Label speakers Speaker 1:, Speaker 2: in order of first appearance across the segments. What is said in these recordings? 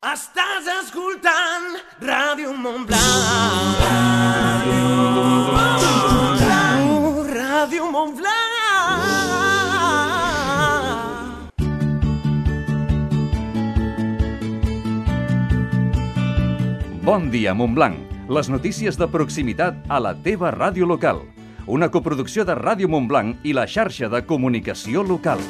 Speaker 1: Estàs escoltant Ràdio Montblanc. Ràdio Montblanc.
Speaker 2: Bon dia, Montblanc. Les notícies de proximitat a la teva ràdio local. Una coproducció de Ràdio Montblanc i la xarxa de comunicació local.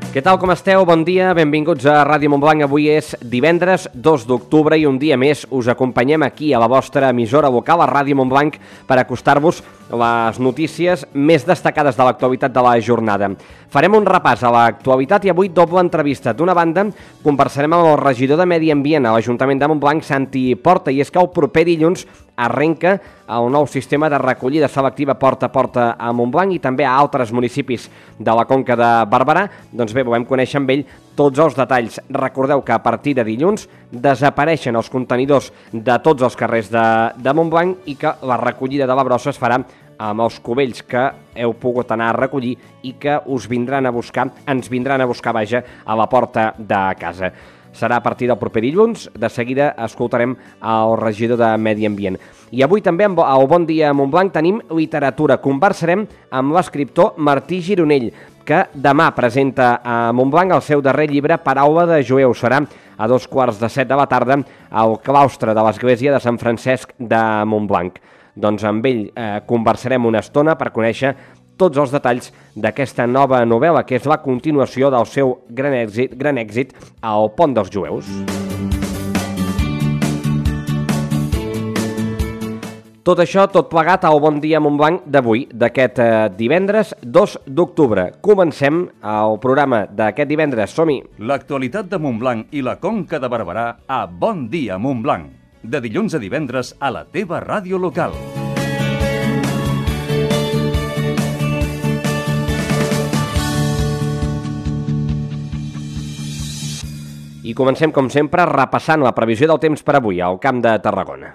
Speaker 3: Què tal, com esteu? Bon dia, benvinguts a Ràdio Montblanc. Avui és divendres 2 d'octubre i un dia més us acompanyem aquí a la vostra emissora local, a Ràdio Montblanc, per acostar-vos les notícies més destacades de l'actualitat de la jornada. Farem un repàs a l'actualitat i avui doble entrevista. D'una banda, conversarem amb el regidor de Medi Ambient a l'Ajuntament de Montblanc, Santi Porta, i és que el proper dilluns arrenca el nou sistema de recollida selectiva porta a porta a Montblanc i també a altres municipis de la Conca de Barberà. Doncs bé, volem conèixer amb ell tots els detalls. Recordeu que a partir de dilluns desapareixen els contenidors de tots els carrers de Montblanc i que la recollida de la brossa es farà amb els cubells que heu pogut anar a recollir i que ens vindran a buscar, a la porta de casa. Serà a partir del proper dilluns. De seguida escoltarem el regidor de Medi Ambient. I avui també al Bon Dia Montblanc tenim literatura. Conversarem amb l'escriptor Martí Gironell, que demà presenta a Montblanc el seu darrer llibre, Paraula de Jueu. Serà a 2:15 de la tarda al claustre de l'església de Sant Francesc de Montblanc. Doncs amb ell conversarem una estona per conèixer tots els detalls d'aquesta nova novel·la, que és la continuació del seu gran èxit, El Pont dels Jueus. Tot això, tot plegat al Bon Dia Montblanc d'avui, d'aquest divendres 2 d'octubre. Comencem el programa d'aquest divendres. Som-hi!
Speaker 2: L'actualitat de Montblanc i la Conca de Barberà a Bon Dia Montblanc. De dilluns a divendres a la teva ràdio local.
Speaker 3: I comencem, com sempre, repassant la previsió del temps per avui al Camp de Tarragona.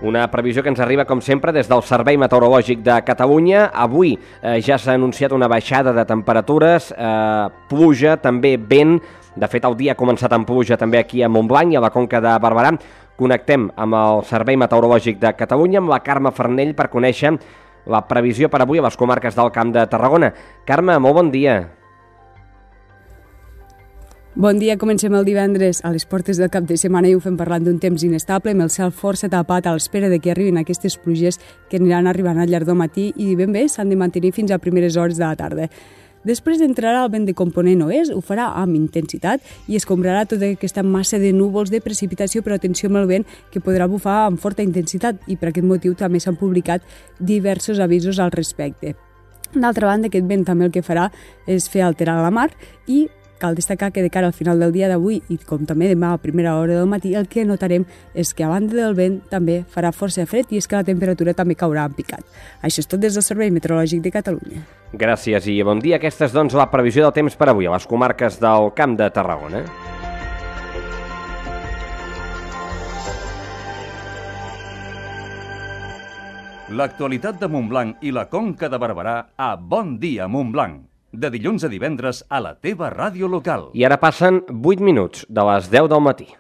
Speaker 3: Una previsió que ens arriba, com sempre, des del Servei Meteorològic de Catalunya. Avui ja s'ha anunciat una baixada de temperatures, pluja, també vent. De fet, el dia ha començat amb pluja també aquí a Montblanc i a la Conca de Barberà. Connectem amb el Servei Meteorològic de Catalunya, amb la Carme Farnell, per conèixer la previsió per avui a les comarques del Camp de Tarragona. Carme, molt bon dia.
Speaker 4: Bon dia, comencem el divendres a les portes del cap de setmana i ho fem parlant d'un temps inestable, amb el cel força tapat a l'espera de que arribin aquestes pluges que aniran arribant al llarg del matí i ben bé s'han de mantenir fins a primeres hores de la tarda. Després entrarà el vent de component oest, ho farà amb intensitat i escombrarà tota aquesta massa de núvols de precipitació, però atenció amb el vent, que podrà bufar amb forta intensitat i per aquest motiu també s'han publicat diversos avisos al respecte. D'altra banda, aquest vent també el que farà és fer alterar la mar i cal destacar que de cara al final del dia d'avui i com també demà a primera hora del matí el que notarem és que a banda del vent també farà força fred i és que la temperatura també caurà en picat. Això és tot des del Servei Meteorològic de Catalunya.
Speaker 3: Gràcies i bon dia. Aquesta és doncs la previsió del temps per avui a les comarques del Camp de Tarragona.
Speaker 2: L'actualitat de Montblanc i la Conca de Barberà a Bon Dia Montblanc. De dilluns a divendres a la teva ràdio local.
Speaker 3: I ara passen 8 minuts de les 10 del matí.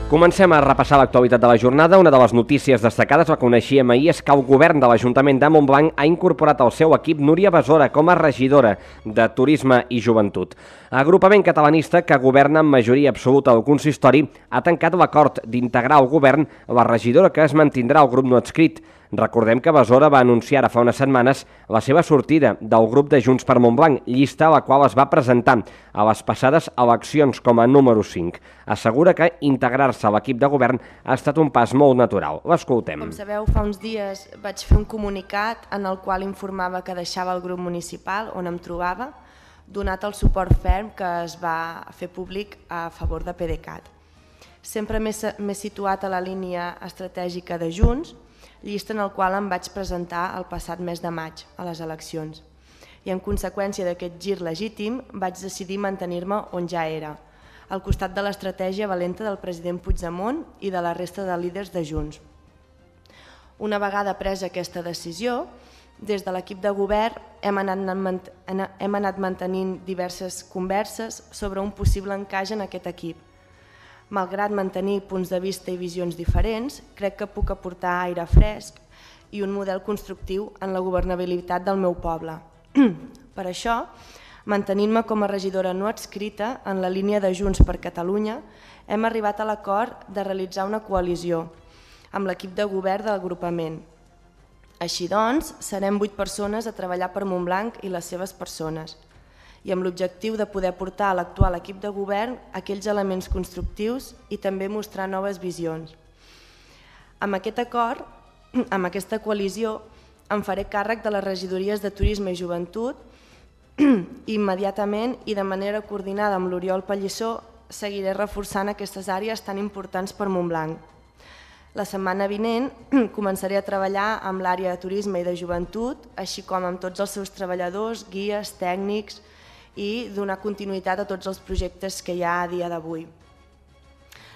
Speaker 3: Comencem a repassar l'actualitat de la jornada. Una de les notícies destacades, la coneixíem ahir, és que el govern de l'Ajuntament de Montblanc ha incorporat al seu equip Núria Besora com a regidora de Turisme i Joventut. L'agrupament catalanista, que governa amb majoria absoluta del consistori, ha tancat l'acord d'integrar al govern la regidora que es mantindrà al grup no adscrit. Recordem que Besora va anunciar ara fa unes setmanes la seva sortida del grup de Junts per Montblanc, llista a la qual es va presentar a les passades eleccions com a número 5. Assegura que integrar-se a l'equip de govern ha estat un pas molt natural. L'escoltem.
Speaker 5: Com sabeu, fa uns dies vaig fer un comunicat en el qual informava que deixava el grup municipal on em trobava, donat el suport ferm que es va fer públic a favor de PDeCAT. Sempre m'he situat a la línia estratègica de Junts, llista en el qual em vaig presentar el passat mes de maig a les eleccions. I en conseqüència d'aquest gir legítim vaig decidir mantenir-me on ja era, al costat de l'estratègia valenta del president Puigdemont i de la resta de líders de Junts. Una vegada presa aquesta decisió, des de l'equip de govern hem anat mantenint diverses converses sobre un possible encaix en aquest equip. Malgrat mantenir punts de vista i visions diferents, crec que puc aportar aire fresc i un model constructiu en la governabilitat del meu poble. Per això, mantenint-me com a regidora no adscrita en la línia de Junts per Catalunya, hem arribat a l'acord de realitzar una coalició amb l'equip de govern de l'agrupament. Així doncs, serem 8 persones a treballar per Montblanc i les seves persones, i amb l'objectiu de poder portar a l'actual equip de govern aquells elements constructius i també mostrar noves visions. Amb aquest acord, amb aquesta coalició, em faré càrrec de les regidories de Turisme i Joventut i immediatament i de manera coordinada amb l'Oriol Pallissó seguiré reforçant aquestes àrees tan importants per Montblanc. La setmana vinent començaré a treballar amb l'àrea de Turisme i de Joventut, així com amb tots els seus treballadors, guies, tècnics i donar continuïtat a tots els projectes que hi ha a dia d'avui.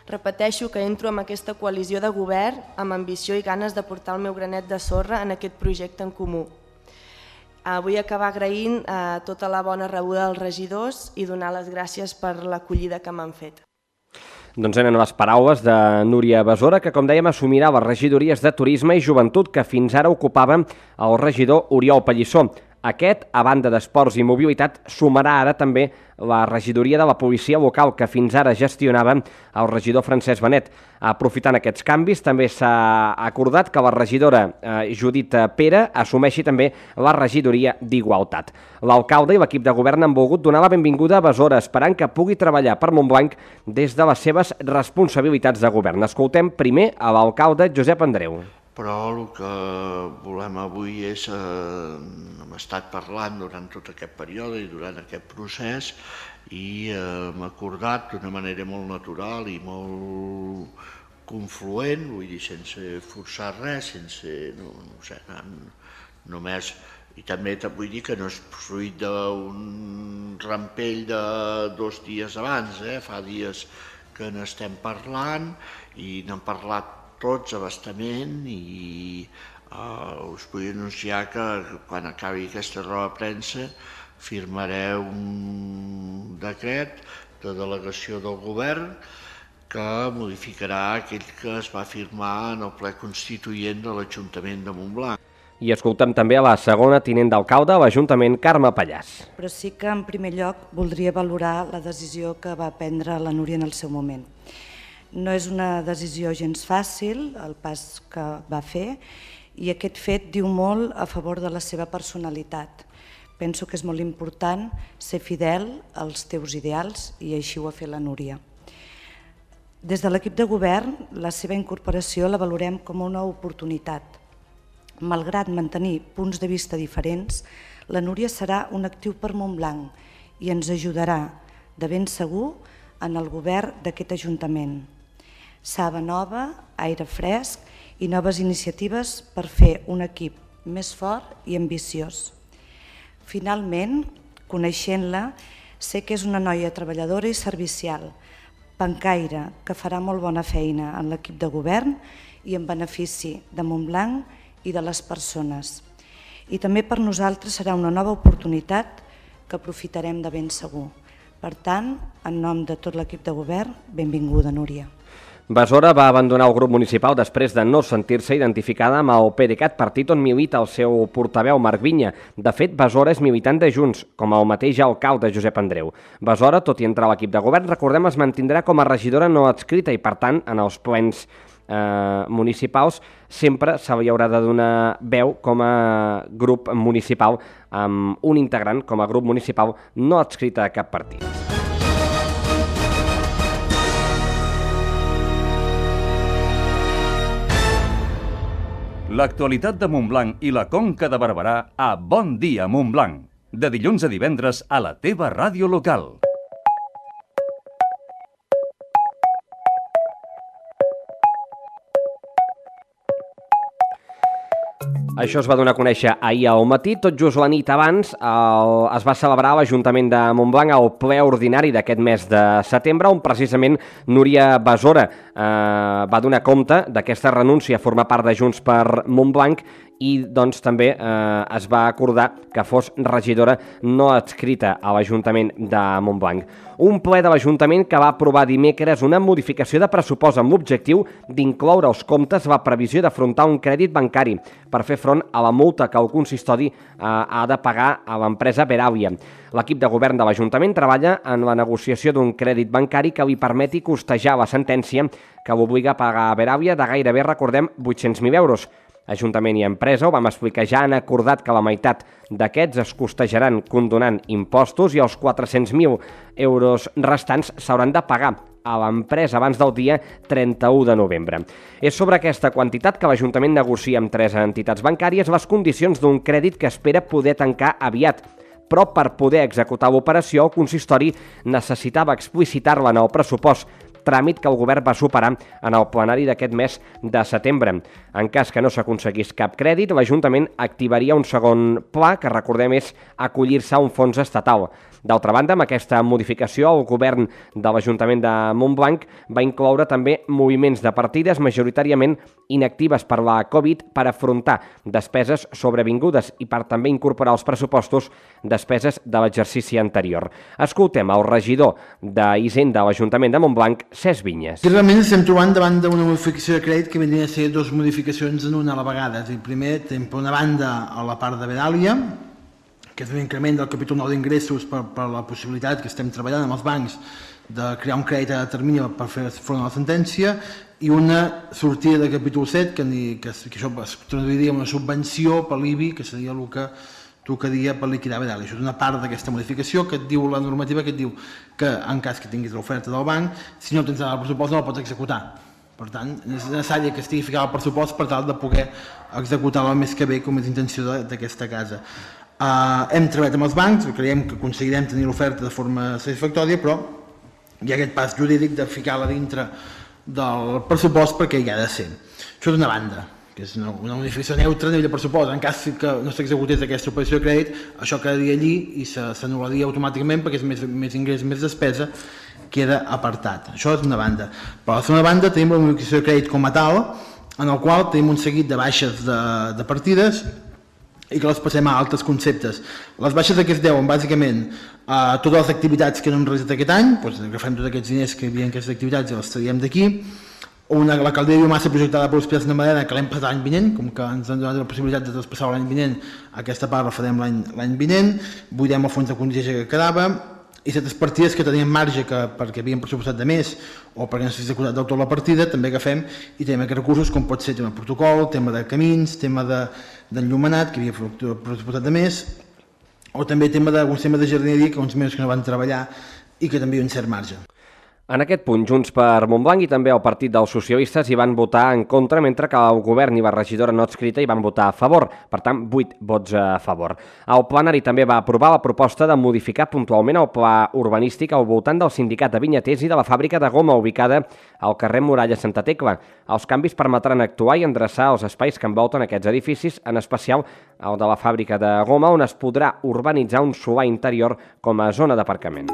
Speaker 5: Repeteixo que entro en aquesta coalició de govern amb ambició i ganes de portar el meu granet de sorra en aquest projecte en comú. Vull acabar agraint tota la bona rebuda dels regidors i donar les gràcies per l'acollida que m'han fet.
Speaker 3: Doncs eren les paraules de Núria Besora, que, com dèiem, assumirà les regidories de Turisme i Joventut que fins ara ocupava el regidor Oriol Pallissó. Aquest, a banda d'Esports i Mobilitat, sumarà ara també la regidoria de la Policia Local, que fins ara gestionava el regidor Francesc Benet. Aprofitant aquests canvis, també s'ha acordat que la regidora Judit Pere assumeixi també la regidoria d'Igualtat. L'alcalde i l'equip de govern han volgut donar la benvinguda a Besora, esperant que pugui treballar per Montblanc des de les seves responsabilitats de govern. Escoltem primer a l'alcalde Josep Andreu.
Speaker 6: Però el que volem avui és, hem estat parlant durant tot aquest període i durant aquest procés i hem acordat d'una manera molt natural i molt confluent, vull dir, sense forçar res, sense, no sé, només, i també vull dir que no és fruit d'un rampell de 2 dies abans, fa dies que n'estem parlant i n'hem parlat tots abastament i us vull anunciar que quan acabi aquesta roda de premsa firmaré un decret de delegació del govern que modificarà aquell que es va firmar en el ple constituent de l'Ajuntament de Montblanc.
Speaker 3: I escoltem també a la segona tinent d'alcalde a l'Ajuntament, Carme Pallàs.
Speaker 7: Però sí que en primer lloc voldria valorar la decisió que va prendre la Núria en el seu moment. No és una decisió gens fàcil, el pas que va fer, i aquest fet diu molt a favor de la seva personalitat. Penso que és molt important ser fidel als teus ideals i així ho ha fet la Núria. Des de l'equip de govern, la seva incorporació la valorem com una oportunitat. Malgrat mantenir punts de vista diferents, la Núria serà un actiu per Montblanc i ens ajudarà, de ben segur, en el govern d'aquest Ajuntament. Saba nova, aire fresc i noves iniciatives per fer un equip més fort i ambiciós. Finalment, coneixent-la, sé que és una noia treballadora i servicial, pencaire, que farà molt bona feina en l'equip de govern i en benefici de Montblanc i de les persones. I també per nosaltres serà una nova oportunitat que aprofitarem de ben segur. Per tant, en nom de tot l'equip de govern, benvinguda, Núria.
Speaker 3: Besora va abandonar el grup municipal després de no sentir-se identificada amb el PDeCAT, partit on milita el seu portaveu Marc Vinya. De fet, Besora és militant de Junts, com el mateix alcalde Josep Andreu. Besora, tot i entrar a l'equip de govern, recordem, es mantindrà com a regidora no adscrita i, per tant, en els plens municipals sempre se li haurà de donar veu com a grup municipal amb un integrant com a grup municipal no adscrita a cap partit.
Speaker 2: L'actualitat de Montblanc i la Conca de Barberà a Bon Dia Montblanc. De dilluns a divendres a la teva ràdio local.
Speaker 3: Això es va donar a conèixer ahir al matí. Tot just la nit abans es va celebrar a l'Ajuntament de Montblanc el ple ordinari d'aquest mes de setembre, on precisament Núria Besora va donar compte d'aquesta renúncia a formar part de Junts per Montblanc i doncs també es va acordar que fos regidora no adscrita a l'Ajuntament de Montblanc. Un ple de l'Ajuntament que va aprovar dimecres una modificació de pressupost amb l'objectiu d'incloure als comptes la previsió d'afrontar un crèdit bancari per fer front a la multa que el consistori ha de pagar a l'empresa Veràvia. L'equip de govern de l'Ajuntament treballa en la negociació d'un crèdit bancari que li permeti costejar la sentència que l'obliga a pagar a Veràvia de gairebé, recordem, 800.000 euros. Ajuntament i empresa, ho vam explicar, ja han acordat que la meitat d'aquests es costejaran condonant impostos i els 400.000 euros restants s'hauran de pagar a l'empresa abans del dia 31 de novembre. És sobre aquesta quantitat que l'Ajuntament negocia amb 3 entitats bancàries les condicions d'un crèdit que espera poder tancar aviat. Però per poder executar l'operació, el consistori necessitava explicitar-la en el pressupost, tràmit que el govern va superar en el plenari d'aquest mes de setembre. En cas que no s'aconseguís cap crèdit, l'Ajuntament activaria un segon pla, que recordem és acollir-se a un fons estatal. D'altra banda, amb aquesta modificació, el govern de l'Ajuntament de Montblanc va incloure també moviments de partides majoritàriament inactives per la Covid per afrontar despeses sobrevingudes i per també incorporar als pressupostos despeses de l'exercici anterior. Escoltem el regidor d'Hisenda de l'Ajuntament de Montblanc, Cesc Vinyes.
Speaker 8: I realment estem trobant davant d'una modificació de crèdit que vindria a ser 2 modificacions en una a la vegada. Primer, tenim per una banda a la part de Veràlia, que és un increment del capítol 9 d'ingressos per la possibilitat que estem treballant amb els bancs de crear un crèdit a termini per fer front a la sentència, i una sortida de capítol 7, que això es traduiria en una subvenció per l'IBI, que seria el que tocaria per liquidar Veràlia. Això és una part d'aquesta modificació que et diu la normativa, que et diu que en cas que tinguis l'oferta del banc, si no tens el pressupost no la pots executar. Per tant, és necessari que estigui ficat el pressupost per tal de poder executar-la el més que bé, com és intenció d'aquesta casa. Hem treballat amb els bancs, creiem que aconseguirem tenir l'oferta de forma satisfactòria, però hi ha aquest pas jurídic de ficar-la dintre del pressupost perquè hi ha de ser. Això d'una banda, que és una modificació neutra a nivell de pressupost. En cas que no s'executés aquesta operació de crèdit, això quedaria allí i s'anul·laria automàticament perquè és més ingrés, més despesa, queda apartat. Això és una banda. Per la segona banda tenim la modificació de crèdit com a tal, en el qual tenim un seguit de baixes de partides i que les passem a altres conceptes. Les baixes que es deuen bàsicament a totes les activitats que no hem realitzat aquest any, doncs agafem tots aquests diners que hi havia en aquestes activitats i els traiem d'aquí. La caldera de biomassa projectada per l'Hospital de Madena, que l'hem passat l'any vinent, com que ens han donat la possibilitat de traspassar l'any vinent, aquesta part la farem l'any vinent, buidem el fons de contingència que quedava, i certes partides que tenien marge perquè havien pressupostat de més o perquè no s'ha executat del tot la partida, també agafem i tenim aquests recursos, com pot ser tema de protocol, tema de camins, tema d'enllumenat, que havia pressupostat de més, o també alguns temes de jardineria, que uns mesos que no van treballar i que també hi ha un cert marge.
Speaker 3: En aquest punt, Junts per Montblanc i també el Partit dels Socialistes hi van votar en contra, mentre que el govern i la regidora no adscrita hi van votar a favor. Per tant, 8 vots a favor. El plenari també va aprovar la proposta de modificar puntualment el pla urbanístic al voltant del sindicat de vinyaters i de la fàbrica de goma ubicada al carrer Muralla Santa Tecla. Els canvis permetran actuar i endreçar els espais que envolten aquests edificis, en especial el de la fàbrica de goma, on es podrà urbanitzar un solar interior com a zona d'aparcament.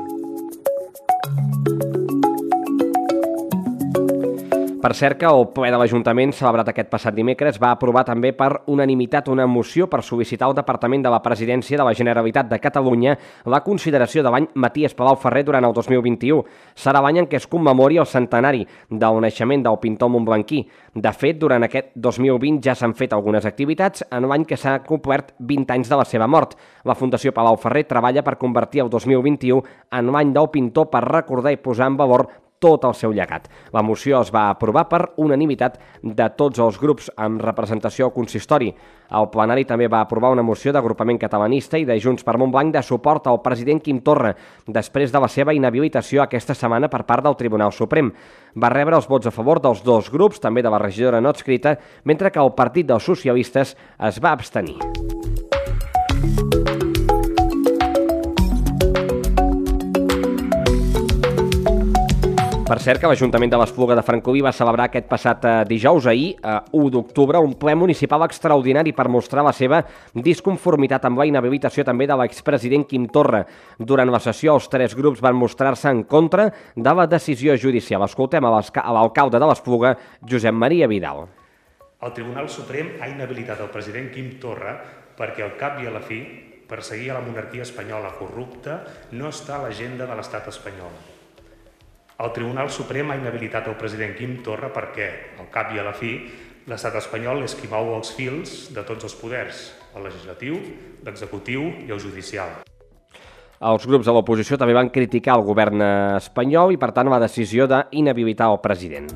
Speaker 3: Per cert que el ple de l'Ajuntament, celebrat aquest passat dimecres, va aprovar també per unanimitat una moció per sol·licitar al Departament de la Presidència de la Generalitat de Catalunya la consideració de l'any Maties Palau-Ferrer durant el 2021. Serà l'any en què es commemori el centenari del naixement del pintor montblanquí. De fet, durant aquest 2020 ja s'han fet algunes activitats en l'any que s'ha complert 20 anys de la seva mort. La Fundació Palau-Ferrer treballa per convertir el 2021 en l'any del pintor per recordar i posar en valor tot el seu llegat. La moció es va aprovar per unanimitat de tots els grups amb representació al consistori. El plenari també va aprovar una moció d'agrupament catalanista i de Junts per Montblanc de suport al president Quim Torra, després de la seva inhabilitació aquesta setmana per part del Tribunal Suprem. Va rebre els vots a favor dels 2 grups, també de la regidora no adscrita, mentre que el Partit dels Socialistes es va abstenir. Per cert que l'Ajuntament de l'Espluga de Francolí va celebrar aquest passat dijous, ahir, 1 d'octubre, un ple municipal extraordinari per mostrar la seva disconformitat amb la inhabilitació també de l'expresident Quim Torra. Durant la sessió, els 3 grups van mostrar-se en contra de la decisió judicial. Escoltem a l'alcalde de l'Espluga, Josep Maria Vidal.
Speaker 9: El Tribunal Suprem ha inhabilitat el president Quim Torra perquè al cap i a la fi perseguir a la monarquia espanyola corrupta no està a l'agenda de l'estat espanyol. El Tribunal Suprem ha inhabilitat el president Quim Torra perquè, al cap i a la fi, l'estat espanyol és qui mou els fils de tots els poders, el legislatiu, l'executiu i el judicial.
Speaker 3: Els grups de l'oposició també van criticar el govern espanyol i, per tant, la decisió d'inhabilitar el president.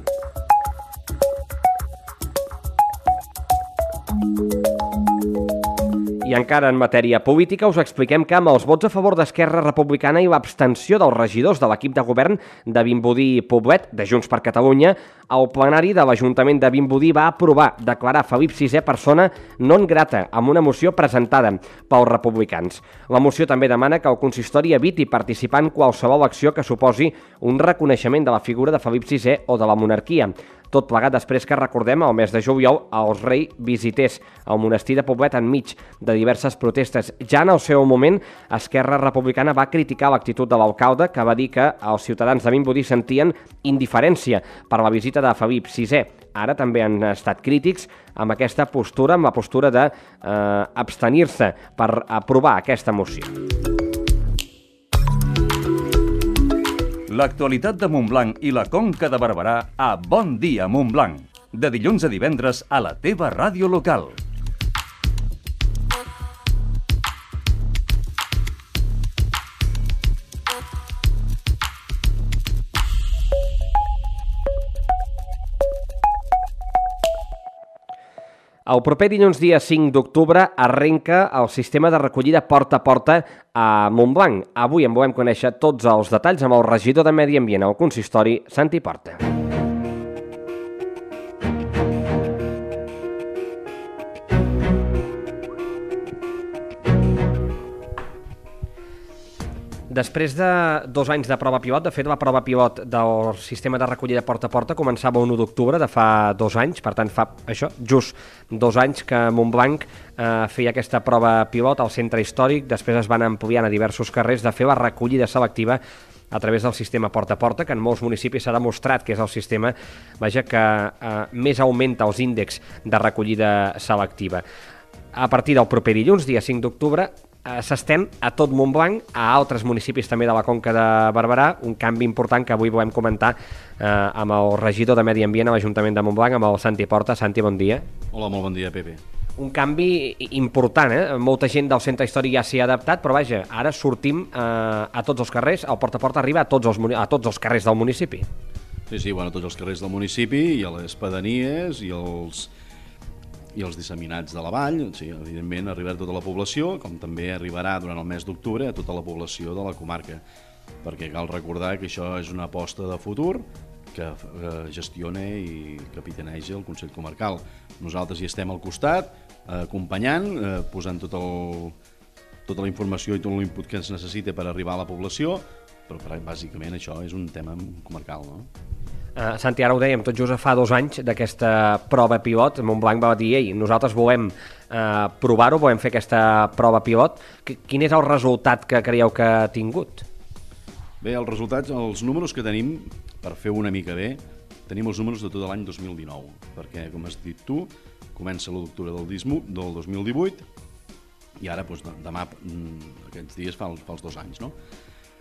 Speaker 3: I encara en matèria política us expliquem que amb els vots a favor d'Esquerra Republicana i l'abstenció dels regidors de l'equip de govern de Vimbodí i Poblet, de Junts per Catalunya, el plenari de l'Ajuntament de Vimbodí va aprovar declarar Felip VI persona non grata amb una moció presentada pels republicans. La moció també demana que el consistori eviti participar en qualsevol acció que suposi un reconeixement de la figura de Felip VI o de la monarquia. Tot plegat després que, recordem, al mes de juliol el rei visités el monestir de Poblet enmig de diverses protestes. Ja en el seu moment, Esquerra Republicana va criticar l'actitud de l'alcalde, que va dir que els ciutadans de Vimbodí sentien indiferència per la visita de Felip VI. Ara també han estat crítics amb aquesta postura, amb la postura d'abstenir-se per aprovar aquesta moció.
Speaker 2: L'actualitat de Montblanc i la Conca de Barberà a Bon Dia Montblanc. De dilluns a divendres a la teva ràdio local.
Speaker 3: El proper dilluns, dia 5 d'octubre, arrenca el sistema de recollida porta a porta a Montblanc. Avui en volem conèixer tots els detalls amb el regidor de Medi Ambient al consistori, Santi Porta. Després de 2 anys de prova pilot, de fet la prova pilot del sistema de recollida porta a porta començava el 1 d'octubre de fa 2 anys, per tant fa això, just 2 anys que Montblanc feia aquesta prova pilot al centre històric, després es van ampliant a diversos carrers de fer la recollida selectiva a través del sistema porta a porta, que en molts municipis s'ha demostrat que és el sistema que més augmenta els índexs de recollida selectiva. A partir del proper dilluns, dia 5 d'octubre, s'estén a tot Montblanc, a altres municipis també de la Conca de Barberà, un canvi important que avui volem comentar amb el regidor de Medi Ambient a l'Ajuntament de Montblanc, amb el Santi Porta. Santi, bon dia.
Speaker 10: Hola, molt bon dia, Pepe.
Speaker 3: Un canvi important, Molta gent del centre històric ja s'hi ha adaptat, però vaja, ara sortim a tots els carrers, el porta a porta arriba a tots els carrers del municipi.
Speaker 10: Sí, bueno, a tots els carrers del municipi i a les pedanies i els disseminats de la vall, sí, evidentment arribarà a tota la població, com també arribarà durant el mes d'octubre a tota la població de la comarca, perquè cal recordar que això és una aposta de futur que gestiona i capitaneja el Consell Comarcal. Nosaltres hi estem al costat, acompanyant, posant tota la informació i tot l'input que es necessita per arribar a la població, però bàsicament això és un tema comarcal, no?
Speaker 3: Santi, ara ho dèiem, tot just fa 2 anys d'aquesta prova pilot, Montblanc va dir, ei, nosaltres volem provar-ho, volem fer aquesta prova pilot. Quin és el resultat que creieu que ha tingut?
Speaker 10: Bé, els resultats, els números que tenim, per fer una mica bé, tenim els números de tot l'any 2019, perquè, com has dit tu, comença l'1 d'octubre del 2018 i ara, demà, aquests dies fa els 2 anys, no?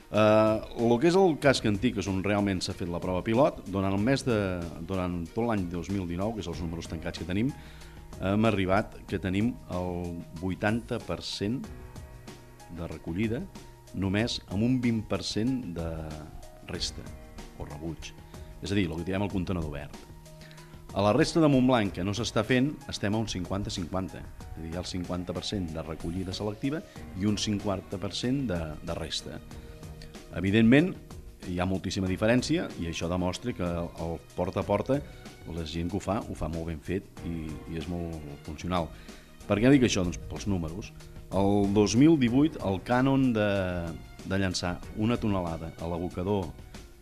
Speaker 10: El que és el casc antic, és on realment s'ha fet la prova pilot, durant tot l'any 2019, que és els números tancats que tenim, hem arribat que tenim el 80% de recollida, només amb un 20% de resta o rebuig. És a dir, el que diem el contenedor verd. A la resta de Montblanc, que no s'està fent, estem a un 50-50. És a dir, hi ha el 50% de recollida selectiva i un 50% de resta. Evidentment, hi ha moltíssima diferència i això demostra que el porta a porta, la gent que ho fa molt ben fet i és molt funcional. Per què dic això? Doncs pels números. El 2018, el cànon de llançar una tonelada a l'abocador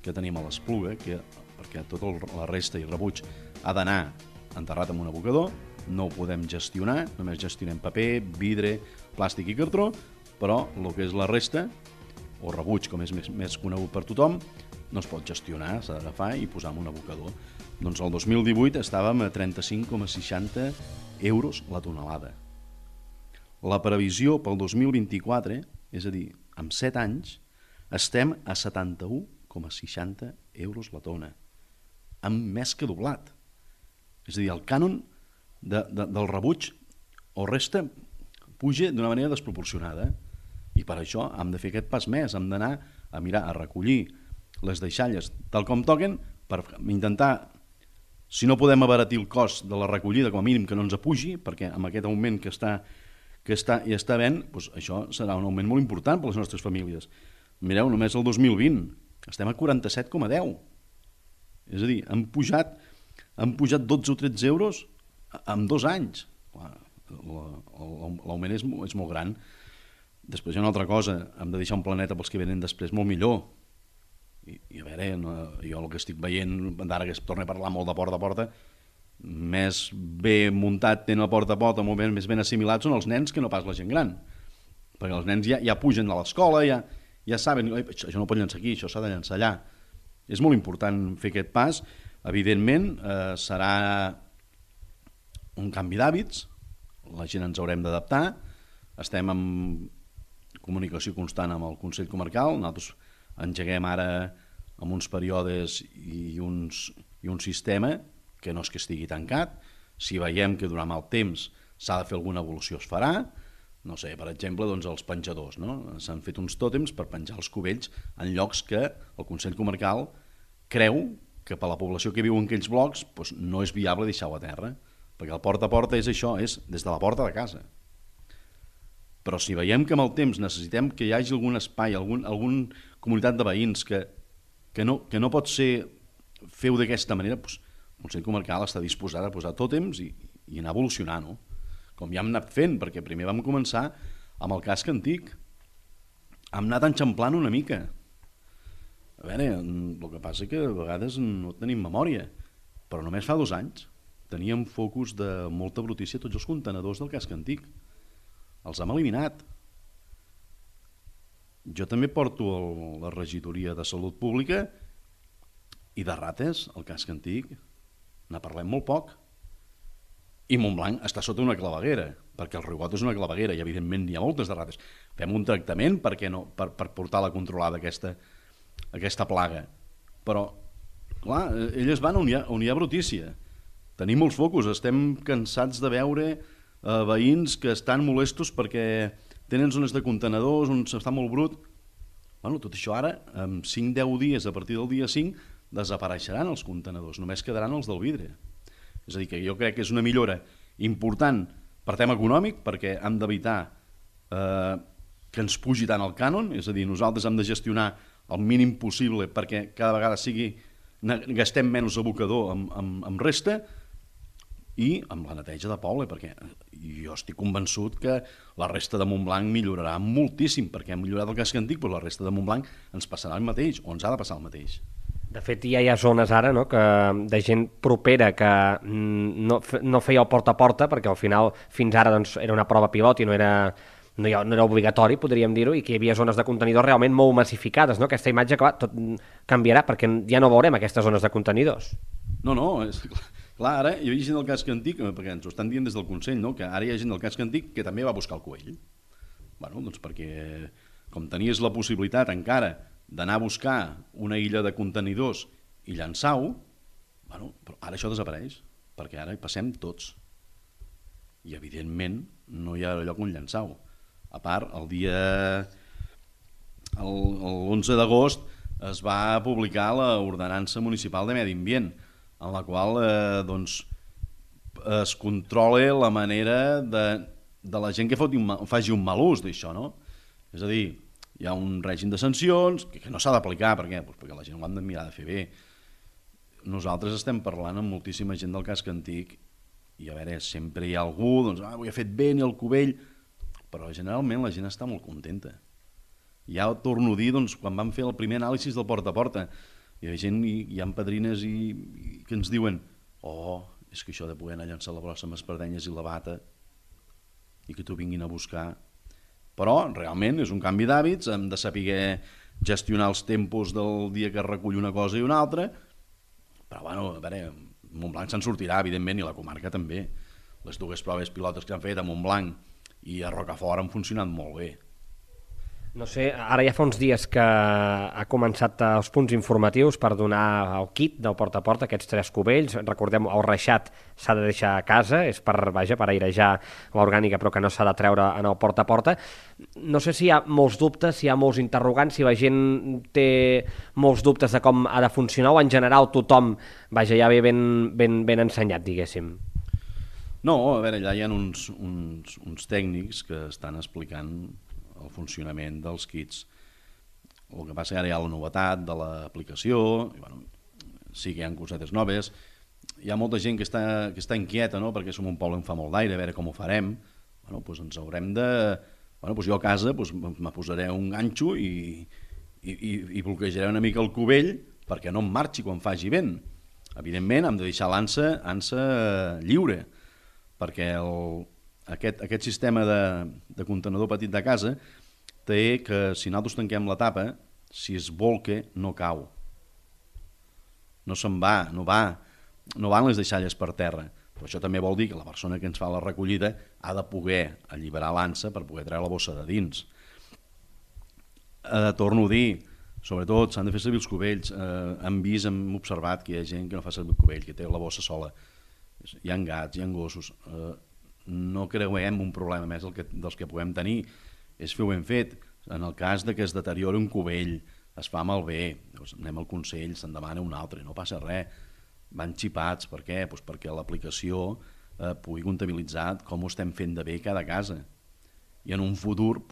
Speaker 10: que tenim a l'Espluga, perquè tota la resta i rebuig ha d'anar enterrat en un abocador, no ho podem gestionar, només gestionem paper, vidre, plàstic i cartró, però el que és la resta, o rebuig, com és més conegut per tothom, no es pot gestionar, s'ha d'agafar i posar en un abocador. Doncs el 2018 estàvem a 35,60 euros la tonelada. La previsió pel 2024, és a dir, en 7 anys, estem a 71,60 euros la tona, amb més que doblat. És a dir, el cànon del rebuig o resta puja d'una manera desproporcionada i per això hem de fer aquest pas més, hem d'anar a mirar, a recollir les deixalles tal com toquen per intentar, si no podem abaratir el cost de la recollida, com a mínim que no ens apugi, perquè amb aquest augment que està havent, doncs això serà un augment molt important per a les nostres famílies. Mireu, només el 2020 estem a 47,10. És a dir, han pujat 12 o 13 euros en 2 anys. L'augment és molt gran. Després hi ha una altra cosa, hem de deixar un planeta pels que venen després molt millor. I a veure, jo el que estic veient, d'ara que es torna a parlar molt de porta a porta, més bé muntat tenen el porta a porta, més ben assimilat són els nens que no pas la gent gran. Perquè els nens ja pugen a l'escola, ja saben, això no pot llançar aquí, això s'ha de llançar allà. És molt important fer aquest pas. Evidentment, serà un canvi d'hàbits, la gent ens haurem d'adaptar, estem en comunicació constant amb el Consell Comarcal, nosaltres engeguem ara amb uns períodes i un sistema que no és que estigui tancat. Si veiem que durant el temps s'ha de fer alguna evolució es farà. No sé, per exemple, doncs els penjadors, no? S'han fet uns tòtems per penjar els cubells en llocs que el Consell Comarcal creu que per la població que viu en aquells blocs doncs no és viable deixar-ho a terra, perquè el porta a porta és això, és des de la porta de casa. Però si veiem que amb el temps necessitem que hi hagi algun espai, alguna comunitat de veïns que no pot ser fer-ho d'aquesta manera, doncs el Consell Comarcal està disposat a posar tòtems i anar evolucionant, no? Com ja hem anat fent, perquè primer vam començar amb el casc antic. Hem anat enxamplant una mica. A veure, el que passa que a vegades no tenim memòria, però només fa 2 anys teníem focus de molta brutícia tots els contenedors del casc antic. Els hem eliminat. Jo també porto la regidoria de Salut Pública i de rates, el casc antic, ne parlem molt poc. I Montblanc està sota una claveguera, perquè el Riugot és una claveguera i evidentment hi ha moltes de rates. Fem un tractament per portar-la controlada, aquesta plaga. Però, clar, elles van on hi ha brutícia. Tenim molts focus, estem cansats de veure veïns que estan molestos perquè tenen zones de contenedors on s'està molt brut. Bueno, tot això ara, en 5-10 dies, a partir del dia 5, desapareixeran els contenedors, només quedaran els del vidre. És a dir, que jo crec que és una millora important per tema econòmic, perquè hem d'evitar que ens pugi tant el cànon, és a dir, nosaltres hem de gestionar el mínim possible perquè cada vegada gastem menys abocador amb resta i amb la neteja de poble, perquè jo estic convençut que la resta de Montblanc millorarà moltíssim, perquè hem millorat el casc antic, però la resta de Montblanc ens passarà el mateix, o ens ha de passar el mateix.
Speaker 3: De fet, ja hi ha zones ara de gent propera que no feia el porta a porta, perquè al final fins ara era una prova pilot i no era obligatori, podríem dir-ho, i que hi havia zones de contenidors realment molt massificades. Aquesta imatge, clar, tot canviarà, perquè ja no veurem aquestes zones de contenidors.
Speaker 10: No, clar, ara hi havia gent del casc antic, perquè ens ho estan dient des del Consell, que ara hi ha gent del casc antic que també va buscar el cubell. Doncs perquè, com tenies la possibilitat encara d'anar a buscar una illa de contenidors i llançar-ho, però ara això desapareix, perquè ara hi passem tots. I, evidentment, no hi ha lloc on llançar-ho. A part, l'11 d'agost es va publicar l'Ordenança Municipal de Medi Ambient, en la qual es controla la manera de la gent que faci un mal ús d'això, no? És a dir, hi ha un règim de sancions que no s'ha d'aplicar, per què? Perquè la gent ho han de mirar de fer bé. Nosaltres estem parlant amb moltíssima gent del casc antic i a veure, sempre hi ha algú, doncs, ho he fet bé, ni el cubell, però generalment la gent està molt contenta. Ja ho torno a dir, doncs, quan vam fer el primer anàlisi del porta a porta, Hi ha gent, hi ha padrines que ens diuen és que això de poder anar a llançar la brossa amb espardenyes i la bata i que t'ho vinguin a buscar. Però realment és un canvi d'hàbits, hem de saber gestionar els tempos del dia que es recull una cosa i una altra, però bueno, a veure, Montblanc se'n sortirà, evidentment, i la comarca també. Les dues proves pilotes que han fet a Montblanc i a Rocafort han funcionat molt bé.
Speaker 3: No sé, ara ja fa uns dies que ha començat els punts informatius per donar el kit del porta a porta, aquests 3 cubells. Recordem, el reixat s'ha de deixar a casa, és per airejar l'orgànica, però que no s'ha de treure en el porta a porta. No sé si hi ha molts dubtes, si hi ha molts interrogants, si la gent té molts dubtes de com ha de funcionar, o en general tothom ja ve ben ensenyat, diguéssim.
Speaker 10: No, a veure, allà hi ha uns tècnics que estan explicant el funcionament dels kits. El que passa que ara hi ha la novetat de l'aplicació, i bueno, sí que hi ha cosetes noves. Hi ha molta gent que està inquieta, no?, perquè som un poble on fa molt d'aire, a veure com ho farem. Bueno, doncs ens haurem de... Bueno, doncs jo a casa me posaré un ganxo i bloquejaré una mica el cubell perquè no em marxi quan faci vent. Evidentment, hem de deixar l'ansa lliure, perquè aquest sistema de contenedor petit de casa té que si nosaltres tanquem la tapa, si es bolca no cau, no se'n va, no van les deixalles per terra. Però això també vol dir que la persona que ens fa la recollida ha de poder alliberar l'ansa per poder treure la bossa de dins. Torno a dir, sobretot s'han de fer servir els cubells. Hem observat que hi ha gent que no fa servir el cubell, que té la bossa sola. Hi ha gats, hi ha gossos. No creuem un problema més dels que puguem tenir, és fer-ho ben fet. En el cas que es deteriori un cubell, es fa malbé, doncs anem al Consell, se'n demana un altre, no passa res. Van xipats, per què? Doncs perquè l'aplicació pugui comptabilitzar com ho estem fent de bé cada casa. I en un futur,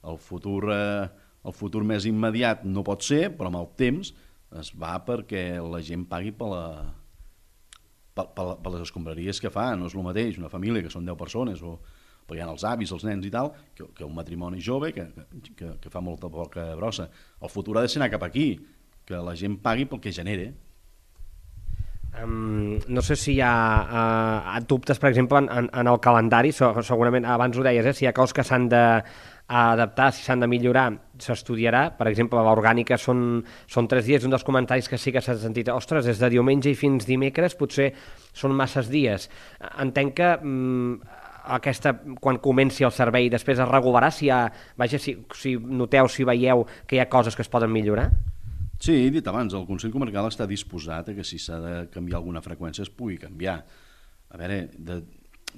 Speaker 10: el futur més immediat no pot ser, però amb el temps es va perquè la gent pagui per les escombraries que fa. No és el mateix una família que són 10 persones o perquè hi ha els avis, els nens i tal, que un matrimoni jove que fa molta poca brossa. El futur ha de ser anar cap aquí, que la gent pagui pel que genera.
Speaker 3: No sé si hi ha dubtes, per exemple, en el calendari. Segurament, abans ho deies, si hi ha coses que s'han d'adaptar, si s'han de millorar, s'estudiarà. Per exemple, l'orgànica són 3 dies. Un dels comentaris que sí que s'ha sentit, ostres, des de diumenge i fins dimecres potser són masses dies. Entenc que quan comenci el servei després es regularà, si noteu, si veieu que hi ha coses que es poden millorar?
Speaker 10: Sí, he dit abans, el Consell Comarcal està disposat a que si s'ha de canviar alguna freqüència es pugui canviar. A veure,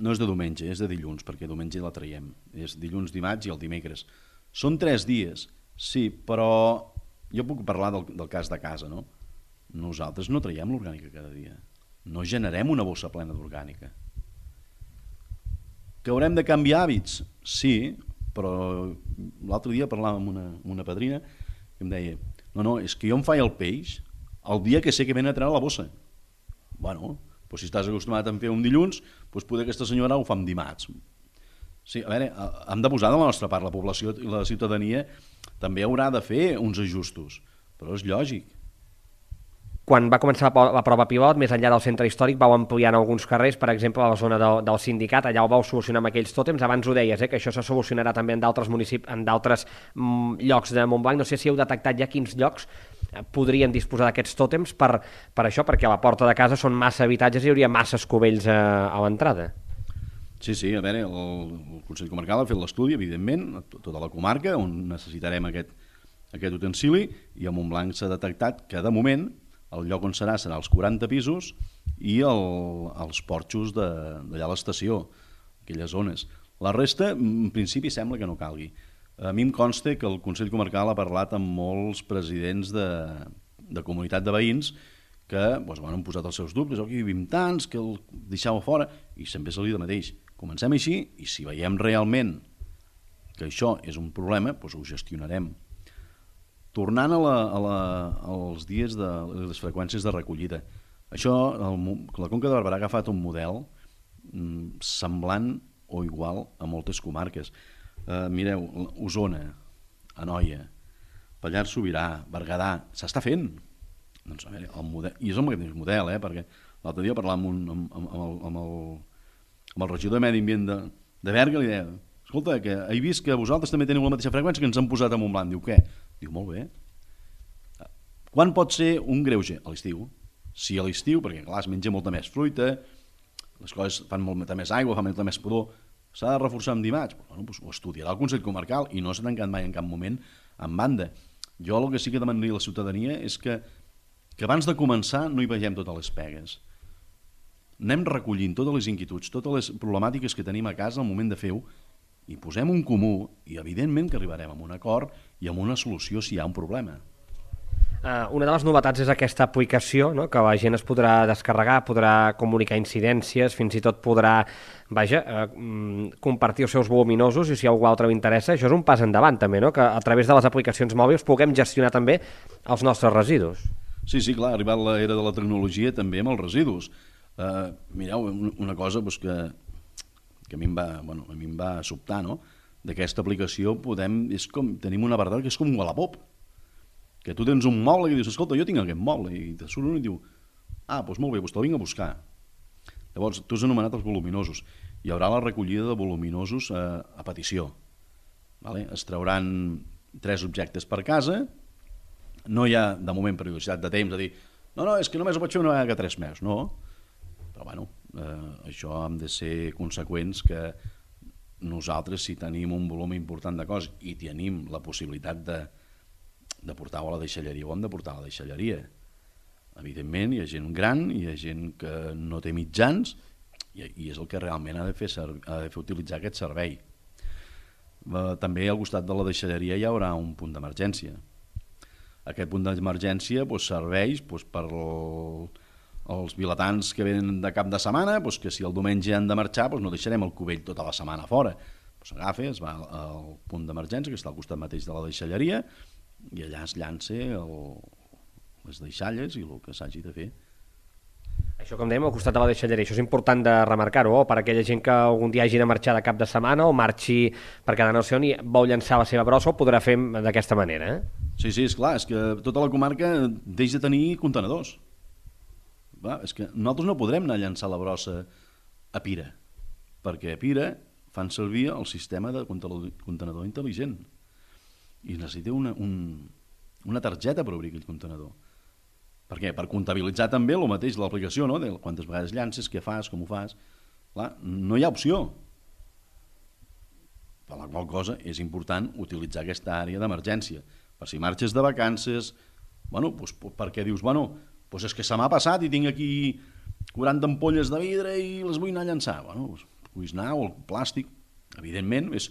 Speaker 10: no és de diumenge, és de dilluns, perquè diumenge la traiem. És dilluns, dimarts i el dimecres. Són 3 dies, sí, però jo puc parlar del cas de casa, no? Nosaltres no traiem l'orgànica cada dia. No generem una bossa plena d'orgànica. Que haurem de canviar hàbits? Sí, però l'altre dia parlàvem amb una padrina que em deia: no, és que jo em faig el peix el dia que sé que ven a treure la bossa. Bueno, doncs si estàs acostumat a fer un dilluns, doncs poder aquesta senyora ho fa en dimarts. Sí, a veure, hem de posar de la nostra part, la població i la ciutadania també haurà de fer uns ajustos, però és lògic.
Speaker 3: Quan va començar la prova pilot, més enllà del centre històric, vau ampliar en alguns carrers, per exemple, a la zona del sindicat, allà ho vau solucionar amb aquells tòtems. Abans ho deies, que això se solucionarà també en d'altres municipis, en d'altres llocs de Montblanc. No sé si heu detectat ja quins llocs podrien disposar d'aquests tòtems per això, perquè a la porta de casa són massa habitatges i hi hauria masses cubells a l'entrada.
Speaker 10: Sí, a veure, el Consell Comarcal ha fet l'estudi, evidentment, a tota la comarca, on necessitarem aquest utensili, i a Montblanc s'ha detectat que, de moment, el lloc on serà els 40 pisos i els porxos d'allà a l'estació, aquelles zones. La resta, en principi, sembla que no calgui. A mi em consta que el Consell Comarcal ha parlat amb molts presidents de comunitat de veïns que han posat els seus dubtes: aquí vivim tants, que el deixeu fora, i sempre se li de mateix. Comencem així, i si veiem realment que això és un problema, doncs ho gestionarem. Tornant als dies de les freqüències de recollida, això, la Conca de Barberà ha agafat un model semblant o igual a moltes comarques. Mireu, Osona, Anoia, Pallars Sobirà, Berguedà, s'està fent. Doncs, a veure, el model, i és el mateix model, perquè l'altre dia parlàvem amb el regidor de Medi Ambient de Berga, li deia, escolta, que he vist que vosaltres també teniu la mateixa freqüència que ens han posat a Montblanc. Diu, què? Diu, molt bé. Quan pot ser un greuge? A l'estiu. Sí, a l'estiu, perquè clar, es menja molta més fruita, les coses fan molta més aigua, fan molta més pudor, s'ha de reforçar amb dimarts. Bueno, doncs ho estudiarà el Consell Comarcal i no s'ha tancat mai en cap moment en banda. Jo el que sí que demanaria a la ciutadania és que abans de començar no hi vegem totes les pegues. Anem recollint totes les inquietuds, totes les problemàtiques que tenim a casa al moment de fer-ho i posem un comú i evidentment que arribarem a un acord i a una solució si hi ha un problema.
Speaker 3: Una de les novetats és aquesta aplicació, no? Que la gent es podrà descarregar, podrà comunicar incidències, fins i tot podrà compartir els seus voluminosos i si a algú altre li interessa. Això és un pas endavant també, no? Que a través de les aplicacions mòbils puguem gestionar també els nostres residus.
Speaker 10: Sí, clar, ha arribat l'era de la tecnologia també amb els residus. Mireu, una cosa que a mi em va sobtar, no? D'aquesta aplicació tenim un apartat que és com un Wallapop, que tu tens un moble i dius, escolta, jo tinc aquest moble, i te surt un i diu, doncs molt bé, doncs te'l vinc a buscar. Llavors, tu has anomenat els voluminosos. Hi haurà la recollida de voluminosos a petició. Es trauran 3 objectes per casa, no hi ha, de moment, periodicitat de temps, de dir, no, és que només ho pots fer una vegada cada 3 mesos, no. Però, bueno, això hem de ser conseqüents que nosaltres, si tenim un volum important de coses i tenim la possibilitat de portar-ho a la deixalleria, ho hem de portar a la deixalleria. Evidentment, hi ha gent gran, hi ha gent que no té mitjans i és el que realment ha de fer utilitzar aquest servei. També al costat de la deixalleria hi haurà un punt d'emergència. Aquest punt d'emergència serveix per als vilatans que venen de cap de setmana, que si el diumenge han de marxar no deixarem el cubell tota la setmana fora. S'agafa, es va al punt d'emergència que està al costat mateix de la deixalleria i allà es llança les deixalles i el que s'hagi de fer.
Speaker 3: Això, com dèiem, al costat de la deixalleria, això és important de remarcar-ho, per aquella gent que algun dia hagi de marxar de cap de setmana o marxi per cada no sé on i vol llançar la seva brossa, ho podrà fer d'aquesta manera.
Speaker 10: Sí, esclar, és que tota la comarca deix de tenir contenedors. És que nosaltres no podrem anar a llançar la brossa a Pira, perquè a Pira fan servir el sistema de contenedor intel·ligent i necessita una targeta per obrir aquell contenedor. Per què? Per comptabilitzar també el mateix de l'aplicació, no? De quantes vegades llances, què fas, com ho fas. Clar, no hi ha opció. Per la qual cosa és important utilitzar aquesta àrea d'emergència. Per si marxes de vacances, perquè dius, és que se m'ha passat i tinc aquí 40 ampolles de vidre i les vull anar a llançar. Puguis anar, o el plàstic, evidentment, és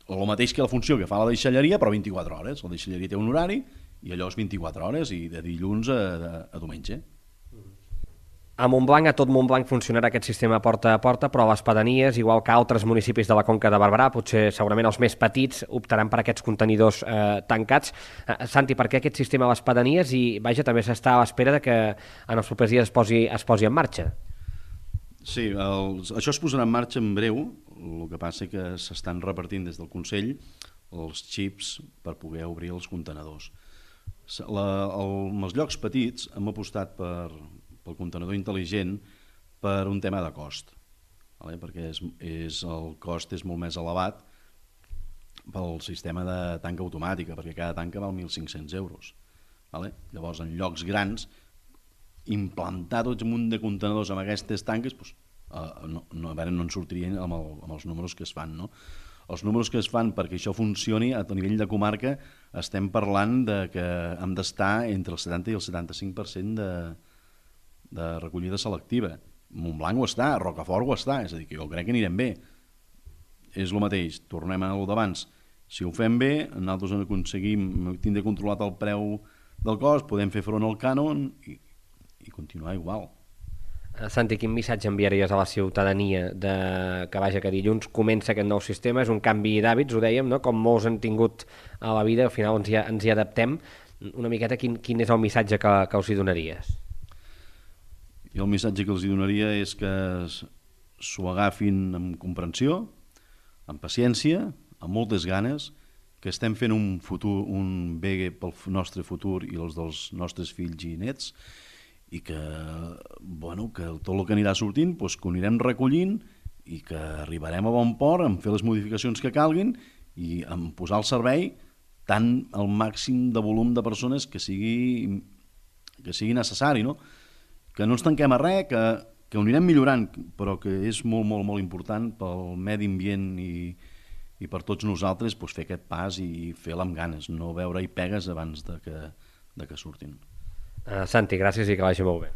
Speaker 10: el mateix que la funció que fa la deixalleria, però 24 hores. La deixalleria té un horari i allò és 24 hores i de dilluns a diumenge.
Speaker 3: A Montblanc, a tot Montblanc funcionarà aquest sistema porta a porta, però a les pedanies, igual que altres municipis de la Conca de Barberà, potser segurament els més petits optaran per aquests contenidors tancats. Santi, per què aquest sistema a les pedanies? I també s'està a l'espera que en els propers dies es posi en marxa.
Speaker 10: Sí, això es posarà en marxa en breu, el que passa que s'estan repartint des del Consell els xips per poder obrir els contenedors. Els llocs petits hem apostat pel contenedor intel·ligent per un tema de cost, perquè el cost és molt més elevat pel sistema de tanca automàtica, perquè cada tanca val 1.500 euros. Llavors, en llocs grans, implantar tot un munt de contenidors amb aquestes tanques no en sortirien amb els números que es fan, no? Els números que es fan perquè això funcioni a nivell de comarca estem parlant que hem d'estar entre el 70 i el 75% de recollida selectiva. Montblanc ho està, Rocafort ho està, és a dir, que jo crec que anirem bé. És el mateix, tornem a allò d'abans. Si ho fem bé, nosaltres aconseguim tindre controlat el preu del cost, podem fer front al cànon i continuar igual.
Speaker 3: Santi, quin missatge enviaries a la ciutadania que dilluns comença aquest nou sistema? És un canvi d'hàbits, ho dèiem, no? Com molts han tingut a la vida, al final ens hi adaptem. Una miqueta, quin és el missatge que els hi donaries?
Speaker 10: Jo el missatge que els hi donaria és que s'ho agafin amb comprensió, amb paciència, amb moltes ganes que estem fent un futur, un bé pel nostre futur i els dels nostres fills i nets, i que, bueno, que tot el que anirà sortint, doncs, que ho anirem recollint i que arribarem a bon port en fer les modificacions que calguin i en posar al servei tant el màxim de volum de persones que sigui necessari, no? Que no ens tanquem a res, que ho anirem millorant, però que és molt, molt, molt important pel medi ambient i per tots nosaltres doncs, fer aquest pas i fer-la amb ganes, no veure-hi pegues abans de que surtin.
Speaker 3: Santi, gràcies i que vagi molt bé.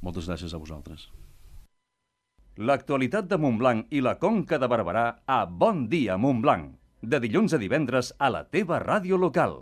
Speaker 10: Moltes gràcies a vosaltres.
Speaker 2: L'actualitat de Montblanc i la Conca de Barberà a Bon Dia Montblanc. De dilluns a divendres a la teva ràdio local.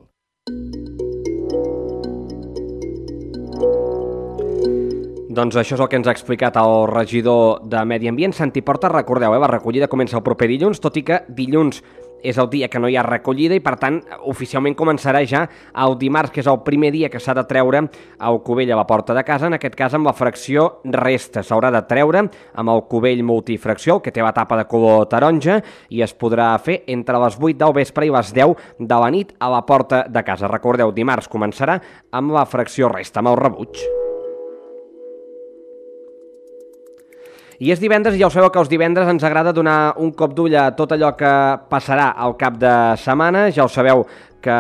Speaker 3: Doncs això és el que ens ha explicat el regidor de Medi Ambient, Santi Porta. Recordeu, la recollida comença el proper dilluns, tot i que dilluns és el dia que no hi ha recollida i, per tant, oficialment començarà ja el dimarts, que és el primer dia que s'ha de treure el cubell a la porta de casa, en aquest cas amb la fracció resta. S'haurà de treure amb el cubell multifracció, que té la tapa de color taronja, i es podrà fer entre les 8 del vespre i les 10 de la nit a la porta de casa. Recordeu, dimarts començarà amb la fracció resta, amb el rebuig. I és divendres, i ja ho sabeu que els divendres ens agrada donar un cop d'ull a tot allò que passarà al cap de setmana. Ja ho sabeu que,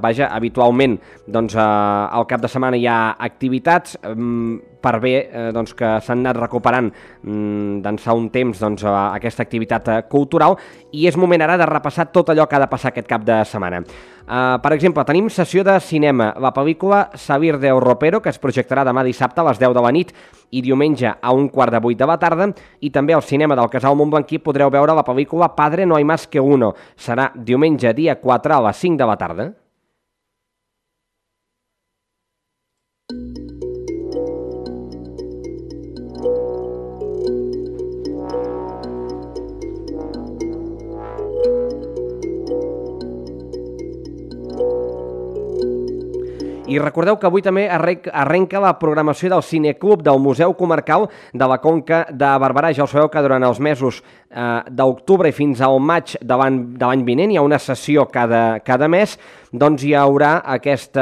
Speaker 3: vaja, habitualment doncs, al cap de setmana hi ha activitats per bé doncs, que s'han anat recuperant d'ençà un temps doncs, aquesta activitat cultural, i és moment ara de repassar tot allò que ha de passar aquest cap de setmana. Per exemple, tenim sessió de cinema, la pel·lícula Sabir del Ropero, que es projectarà demà dissabte a les 10 de la nit i diumenge a 7:15 de la tarda, i també al cinema del Casal Montblanquí podreu veure la pel·lícula Padre no hay más que uno. Serà diumenge dia 4 a les 5 de la tarda. I recordeu que avui també arrenca la programació del Cineclub del Museu Comarcal de la Conca de Barberà. Ja ho sabeu que durant els mesos d'octubre i fins al maig de l'any vinent hi ha una sessió cada mes, doncs hi haurà aquest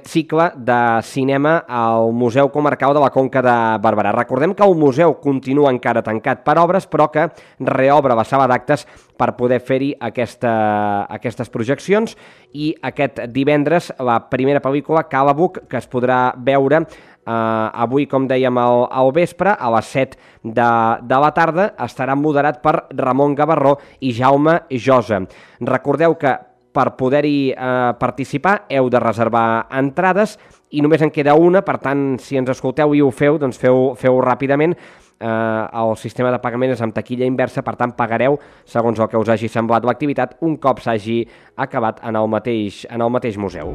Speaker 3: cicle de cinema al Museu Comarcal de la Conca de Barberà. Recordem que el museu continua encara tancat per obres, però que reobre la sala d'actes per poder fer-hi aquestes projeccions, i aquest divendres la primera pel·lícula, Calabuc, que es podrà veure avui, com dèiem, al vespre, a les 7 de la tarda, estarà moderat per Ramon Gavarró i Jaume Josa. Recordeu que per poder-hi participar heu de reservar entrades i només en queda una, per tant, si ens escolteu i ho feu, doncs feu ràpidament. El sistema de pagament és amb taquilla inversa, per tant pagareu segons el que us hagi semblat l'activitat un cop s'hagi acabat en el mateix museu.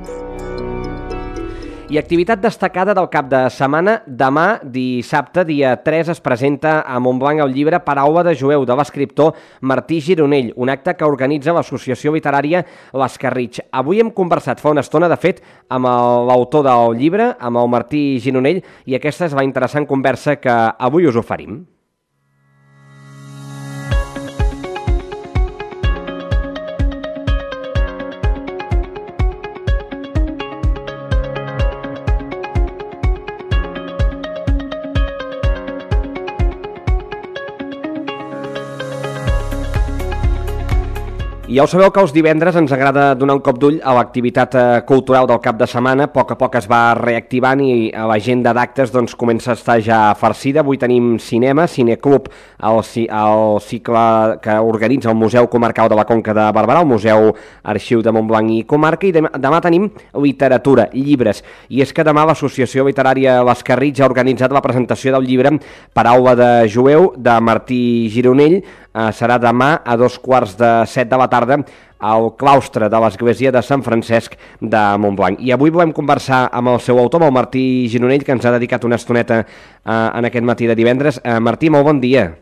Speaker 3: I activitat destacada del cap de setmana: demà, dissabte, dia 3, es presenta a Montblanc el llibre Paraula de Jueu, de l'escriptor Martí Gironell, un acte que organitza l'associació literària l'Escarritx. Avui hem conversat fa una estona, de fet, amb l'autor del llibre, amb el Martí Gironell, i aquesta és la interessant conversa que avui us oferim. I ja ho sabeu que els divendres ens agrada donar un cop d'ull a l'activitat cultural del cap de setmana. A poc es va reactivant i l'agenda d'actes doncs, comença a estar ja farcida. Avui tenim cinema, Cineclub, el cicle que organitza el Museu Comarcal de la Conca de Barberà, el Museu Arxiu de Montblanc i Comarca, i demà tenim literatura, llibres. I és que demà l'Associació Literària l'Escarritx ha organitzat la presentació del llibre Paraula de Jueu, de Martí Gironell. Serà demà a 7:15 de la tarda al claustre de l'església de Sant Francesc de Montblanc. I avui volem conversar amb el seu autor, amb el Martí Gironell, que ens ha dedicat una estoneta en aquest matí de divendres. Martí, molt bon dia.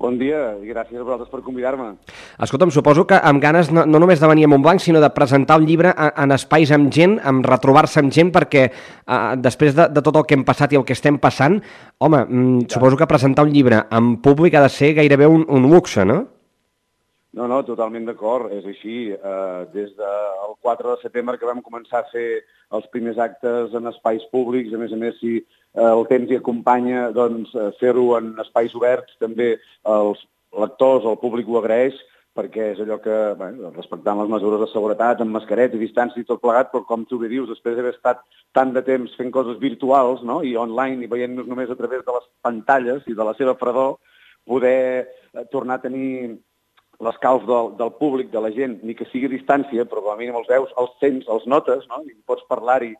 Speaker 11: Bon dia i gràcies a vosaltres per convidar-me.
Speaker 3: Escolta'm, suposo que amb ganes no només de venir a Montblanc, sinó de presentar el llibre en espais amb gent, amb retrobar-se amb gent, perquè després de tot el que hem passat i el que estem passant, home, suposo que presentar un llibre en públic ha de ser gairebé un luxe, no?
Speaker 11: No, totalment d'acord, és així. Des del 4 de setembre que vam començar a fer els primers actes en espais públics, a més, si el temps hi acompanya, doncs fer-ho en espais oberts, també els lectors, el públic ho agraeix, perquè és allò que, respectant les mesures de seguretat, amb mascareta i distància i tot plegat, però com tu bé dius, després d'haver estat tant de temps fent coses virtuals, no?, i online, i veient-nos només a través de les pantalles i de la seva fredor, poder tornar a tenir l'escalf del públic, de la gent, ni que sigui a distància, però com a mínim els veus, els sents, els notes, no?, i pots parlar-hi,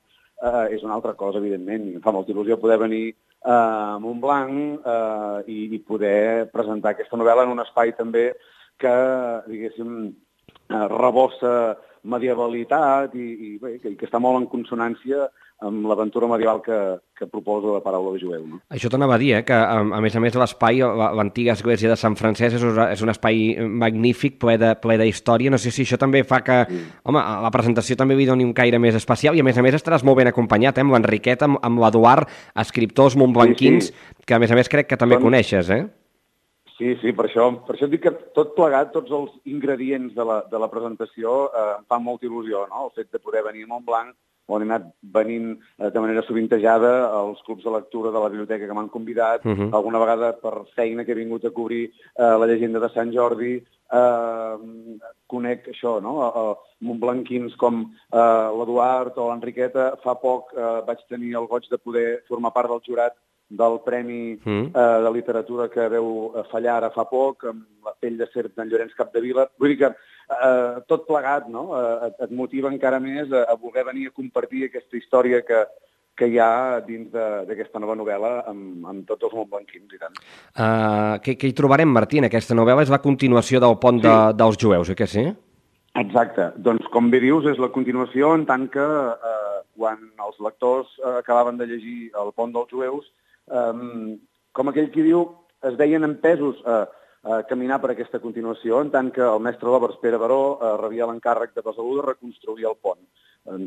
Speaker 11: és una altra cosa, evidentment. Em fa molta il·lusió poder venir a Montblanc i poder presentar aquesta novel·la en un espai també que, diguéssim, rebossa medievalitat i que està molt en consonància amb l'aventura medieval que proposa la paraula de jueu. No?
Speaker 3: Això t'anava a dir, que a més l'espai, l'antiga església de Sant Francesc és un espai magnífic, ple d'història. No sé si això també fa que, home, la presentació també li doni un caire més especial i a més estaràs molt ben acompanyat, amb l'Enriquet, amb l'Eduard, escriptors montblanquins, que a més crec que també coneixes, eh?
Speaker 11: Sí, per això dic que tot plegat, tots els ingredients de la presentació em fan molta il·lusió, no? El fet de poder venir a Montblanc, on he anat venint de manera sovintejada als clubs de lectura de la biblioteca que m'han convidat, alguna vegada per feina que he vingut a cobrir la llegenda de Sant Jordi, conec això, no? Montblanquins com l'Eduard o l'Enriqueta. Fa poc vaig tenir el goig de poder formar part del jurat del Premi de Literatura que veu fallar ara fa poc, amb La pell de serp d'en Llorenç Capdevila. Vull dir que tot plegat, no?, et motiva encara més a voler venir a compartir aquesta història que hi ha dins d'aquesta nova novel·la amb tots els montblanquins i tant.
Speaker 3: Què hi trobarem, Martí, en aquesta novel·la? És la continuació del Pont dels Jueus, oi que sí?
Speaker 11: Exacte. Doncs, com bé dius, és la continuació en tant que quan els lectors acabaven de llegir El Pont dels Jueus, com aquell qui diu, es veien empesos a caminar per aquesta continuació, en tant que el mestre d'obres Pere Baró rebia l'encàrrec de Besalú de reconstruir el pont.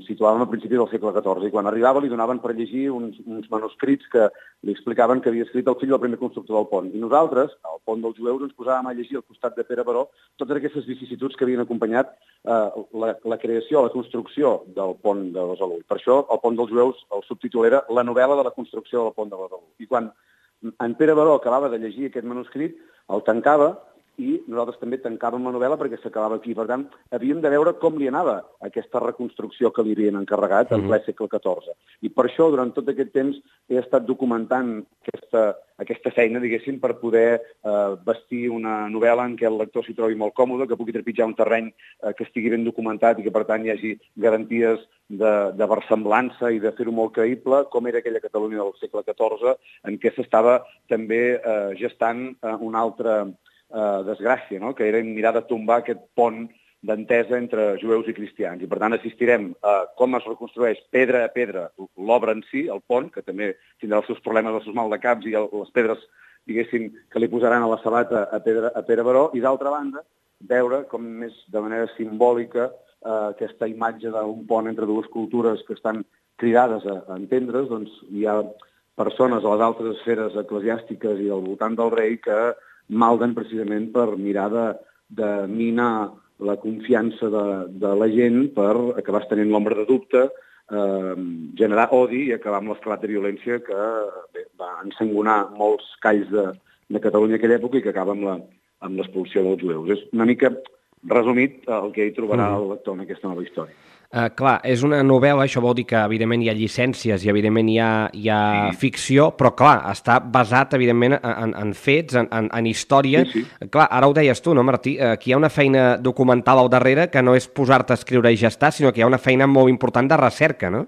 Speaker 11: Situàvem al principi del segle XIV, i quan arribava li donaven per llegir uns manuscrits que li explicaven que havia escrit el fill del primer constructor del pont. I nosaltres, al Pont dels Jueus, ens posàvem a llegir al costat de Pere Baró totes aquestes vicissituds que havien acompanyat la creació, la construcció del pont de Besalú. Per això, el Pont dels Jueus, el subtítol era La novel·la de la construcció del pont de Besalú. I quan en Pere Baró acabava de llegir aquest manuscrit, el tancava, i nosaltres també tancàvem la novel·la perquè s'acabava aquí. Per tant, havíem de veure com li anava aquesta reconstrucció que li havien encarregat en ple segle XIV. I per això, durant tot aquest temps, he estat documentant aquesta feina, diguéssim, per poder vestir una novel·la en què el lector s'hi trobi molt còmode, que pugui trepitjar un terreny que estigui ben documentat i que, per tant, hi hagi garanties de versemblança i de fer-ho molt creïble, com era aquella Catalunya del segle XIV, en què s'estava també gestant una altra desgràcia, no?, que era mirar de tombar aquest pont d'entesa entre jueus i cristians. I, per tant, assistirem a com es reconstrueix pedra a pedra l'obra en si, el pont, que també tindrà els seus problemes, els seus maldecaps i les pedres, diguéssim, que li posaran a la sabata a Pere Baró, i, d'altra banda, veure com més de manera simbòlica aquesta imatge d'un pont entre dues cultures que estan cridades a entendre's. Doncs hi ha persones a les altres esferes eclesiàstiques i al voltant del rei que malden precisament per mirar de minar la confiança de la gent per acabar estenent l'ombra de dubte, generar odi i acabar amb l'esclat de violència que va ensangonar molts calls de Catalunya en aquella època i que acaba amb l'expulsió dels jueus. És una mica resumit el que hi trobarà el lector en aquesta nova història.
Speaker 3: Clar, és una novel·la, això vol dir que evidentment hi ha llicències i evidentment hi ha ficció, però clar, està basat evidentment en fets, en història.
Speaker 11: Sí.
Speaker 3: Clar, ara ho deies tu, no, Martí? Aquí hi ha una feina documental al darrere que no és posar-te a escriure i ja està, sinó que hi ha una feina molt important de recerca, no?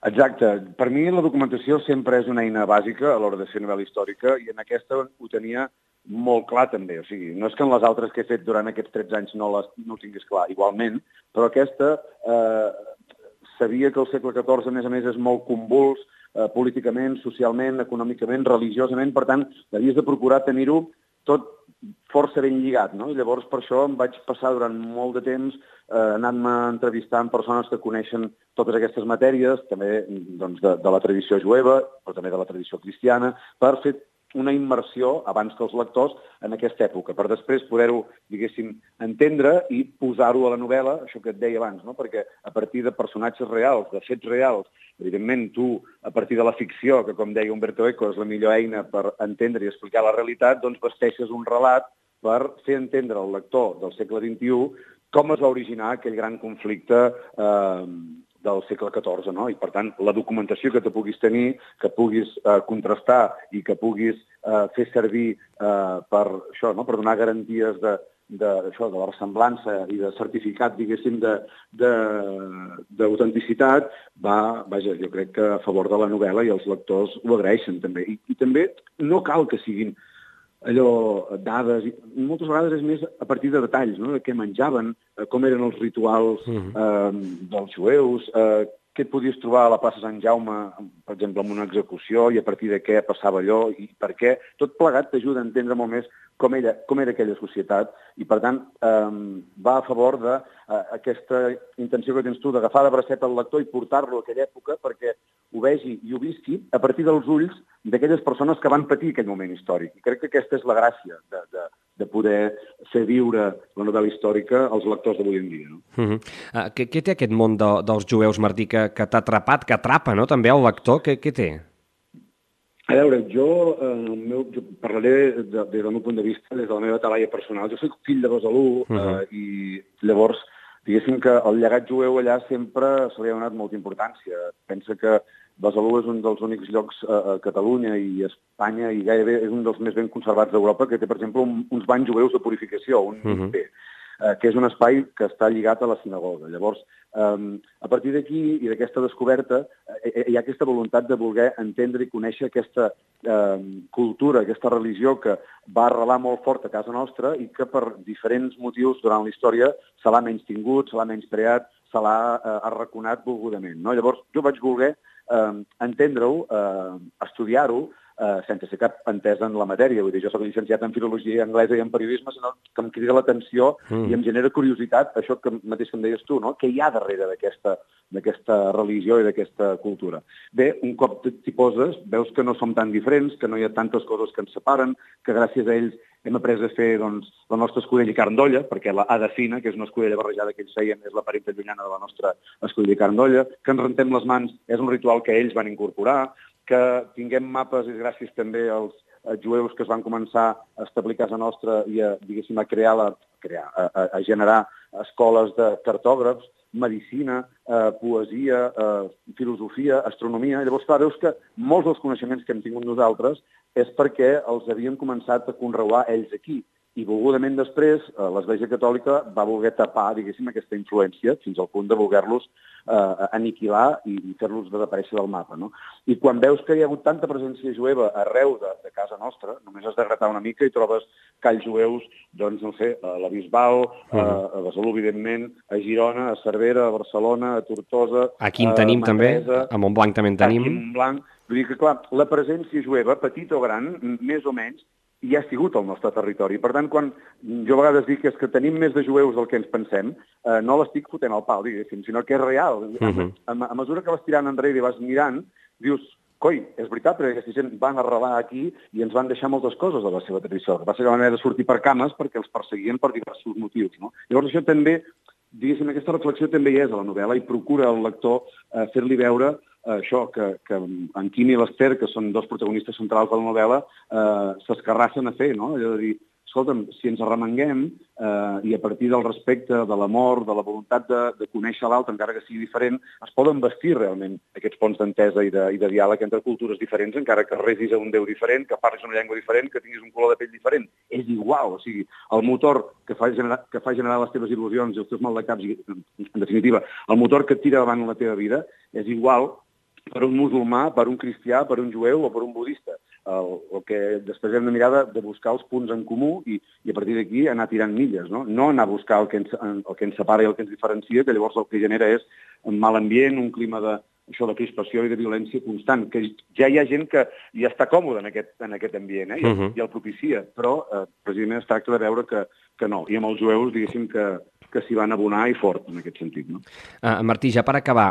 Speaker 11: Exacte. Per mi la documentació sempre és una eina bàsica a l'hora de fer novel·la històrica i en aquesta ho tenia molt clar també. O sigui, no és que en les altres que he fet durant aquests 13 anys no ho tingués clar, igualment, però aquesta sabia que el segle XIV, a més, és molt convuls políticament, socialment, econòmicament, religiosament, per tant, havies de procurar tenir-ho tot força ben lligat, no? I llavors per això em vaig passar durant molt de temps anant-me entrevistant persones que coneixen totes aquestes matèries, també doncs, de la tradició jueva, però també de la tradició cristiana, per fer una immersió abans que els lectors en aquesta època, per després poder-ho, diguéssim, entendre i posar-ho a la novel·la, això que et deia abans, no? Perquè a partir de personatges reals, de fets reals, evidentment tu, a partir de la ficció, que com deia Umberto Eco és la millor eina per entendre i explicar la realitat, doncs vesteixes un relat per fer entendre al lector del segle XXI com es va originar aquell gran conflicte del segle XIV, no? I, per tant, la documentació que te puguis tenir, que puguis contrastar i que puguis fer servir per això, no? Per donar garanties de la ressemblança i de certificat, diguéssim, d'autenticitat, vaja, jo crec que a favor de la novel·la i els lectors ho agraeixen, també. I també no cal que siguin allò, dades, moltes vegades és més a partir de detalls, no? De què menjaven, com eren els rituals dels jueus, què et podies trobar a la plaça Sant Jaume, per exemple, en una execució, i a partir de què passava allò, i per què. Tot plegat t'ajuda a entendre molt més com era aquella societat, i per tant va a favor d'aquesta intenció que tens tu d'agafar de bracet el lector i portar-lo a aquella època perquè ho vegi i ho visqui a partir dels ulls d'aquelles persones que van patir aquell moment històric. I crec que aquesta és la gràcia de poder fer viure la novel·la històrica als lectors d'avui en dia. No?
Speaker 3: Què té aquest món dels jueus, Martí, que t'ha atrapat, que atrapa, no? També el lector? Què té?
Speaker 11: A veure, jo parlaré des del meu punt de vista, des de la meva talaia personal. Jo soc fill de Besalú i llavors, diguéssim que el llegat jueu allà sempre se li ha donat molta importància. Pensa que Besalú és un dels únics llocs a Catalunya i a Espanya i gairebé és un dels més ben conservats d'Europa que té, per exemple, uns banys jueus de purificació, un mikvé, que és un espai que està lligat a la sinagoga. Llavors, a partir d'aquí i d'aquesta descoberta hi ha aquesta voluntat de voler entendre i conèixer aquesta cultura, aquesta religió que va arrelar molt fort a casa nostra i que per diferents motius durant la història se l'ha menystingut, se l'ha menyspreat, se l'ha arraconat volgudament. No? Llavors, jo vaig voler entendre-ho, estudiar-ho, sense ser cap entesa en la matèria. Vull dir, jo soc llicenciat en filologia anglesa i en periodisme, sinó que em crida l'atenció i em genera curiositat, això que mateix que em deies tu, no? Què hi ha darrere d'aquesta religió i d'aquesta cultura. Bé, un cop t'hi poses, veus que no som tan diferents, que no hi ha tantes coses que ens separen, que gràcies a ells hem après a fer doncs, la nostra escudella i carn d'olla, perquè la hada fina, que és una escudella barrejada que ells feien, és la parenta llunyana de la nostra escudella i carn d'olla, que ens rentem les mans és un ritual que ells van incorporar, que tinguem mapes és gràcies també als jueus que es van començar a establir a casa nostra i a generar escoles de cartògrafs, medicina, poesia, filosofia, astronomia. Llavors, clar, veus que molts dels coneixements que hem tingut nosaltres és perquè els havien començat a conreuar ells aquí. I volgudament després l'Església Catòlica va voler tapar, diguéssim, aquesta influència fins al punt de voler-los aniquilar i fer-los desaparèixer del mapa. No? I quan veus que hi ha hagut tanta presència jueva arreu de casa nostra, només has de gratar una mica i trobes calls jueus, doncs, no sé, a la Bisbal, a Besalú, evidentment, a Girona, a Cervera, a Barcelona, a Tortosa...
Speaker 3: Aquí en tenim també, a Montblanc també en tenim.
Speaker 11: Aquí a Montblanc. Vull dir que, clar, la presència jueva, petita o gran, més o menys, hi ha sigut al nostre territori. Per tant, quan jo a vegades dic és que tenim més de jueus del que ens pensem, no l'estic fotent al pal, diguéssim, sinó que és real. A mesura que vas tirant enrere i vas mirant, dius, coi, és veritat, perquè aquesta gent van arrelar aquí i ens van deixar moltes coses de la seva tradició. Va ser la manera de sortir per cames perquè els perseguien per diversos motius. No? Llavors això també, diguéssim, aquesta reflexió també hi és a la novel·la i procura al lector fer-li veure això, que en Quim i l'Ester, que són dos protagonistes centrals de la novel·la, s'escarrassen a fer, no? Allò de dir, escolta'm, si ens arremanguem i a partir del respecte, de l'amor, de la voluntat de conèixer l'altre, encara que sigui diferent, es poden vestir realment aquests ponts d'entesa i de diàleg entre cultures diferents, encara que resis a un Déu diferent, que parlis una llengua diferent, que tinguis un color de pell diferent. És igual, o sigui, el motor que fa generar les teves il·lusions i els teus maldecaps, en definitiva, el motor que et tira davant la teva vida, és igual per un musulmà, per un cristià, per un jueu o per un budista. El que després hem de mirar de buscar els punts en comú i a partir d'aquí anar tirant milles, no? No anar a buscar el que ens separa i el que ens diferencia, que llavors el que genera és un mal ambient, un clima de crispació i de violència constant, que ja hi ha gent que ja està còmode en aquest ambient, i el propicia, però precisament es tracta de veure que no. I amb els jueus, diguéssim que que s'hi van abonar i fort en aquest sentit. No?
Speaker 3: Martí, ja per acabar,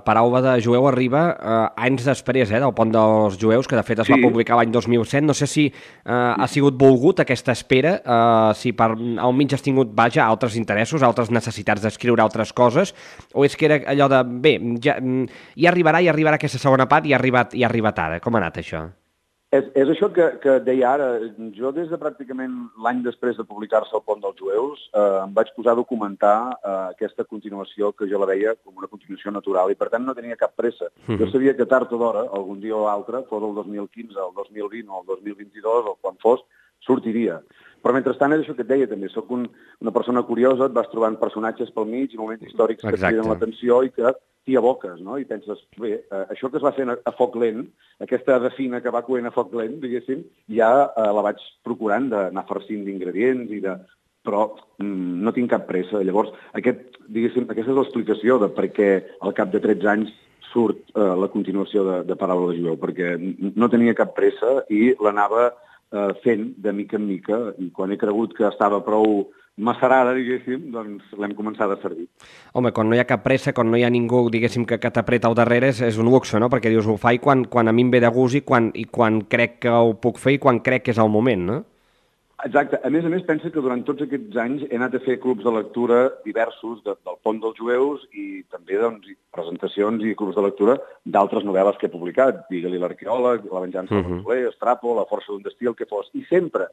Speaker 3: Paraula de Jueu arriba anys després del Pont dels Jueus, que de fet es va publicar l'any 2007. No sé si ha sigut volgut aquesta espera, si al mig has tingut, altres interessos, altres necessitats d'escriure altres coses, o és que era allò de, bé, ja arribarà aquesta segona part i ha arribat ara. Com ha anat això?
Speaker 11: És això que deia ara. Jo des de pràcticament l'any després de publicar-se El Pont dels Jueus em vaig posar a documentar aquesta continuació que jo la veia com una continuació natural i per tant no tenia cap pressa. Jo sabia que tard o d'hora, algun dia o altre, fos el 2015, el 2020 o el 2022 o quan fos, sortiria. Però mentrestant és això que et deia també. Soc una persona curiosa, et vas trobant personatges pel mig i moments històrics que et criden l'atenció i que t'hi aboques, no? I penses, bé, això que es va fer a foc lent, aquesta fina que va coent a foc lent, diguéssim, ja la vaig procurant d'anar farcint d'ingredients però no tinc cap pressa. Llavors, aquesta és l'explicació de per què al cap de 13 anys surt la continuació de Paraula de Jueu, perquè no tenia cap pressa i l'anava fent de mica en mica, i quan he cregut que estava prou macerada, diguéssim, doncs l'hem començat a servir.
Speaker 3: Home, quan no hi ha cap pressa, quan no hi ha ningú, diguéssim, que t'apreta al darrere, és un luxe, no? Perquè dius, ho faig quan a mi em ve de gust i quan crec que ho puc fer i quan crec que és el moment, no?
Speaker 11: Exacte. A més, pensa que durant tots aquests anys he anat a fer clubs de lectura diversos del Pont dels Jueus i també presentacions i clubs de lectura d'altres novel·les que he publicat. Digue-li L'arqueòleg, La venjança del Soler, Estrapo, La força d'un destí, el que fos. I sempre,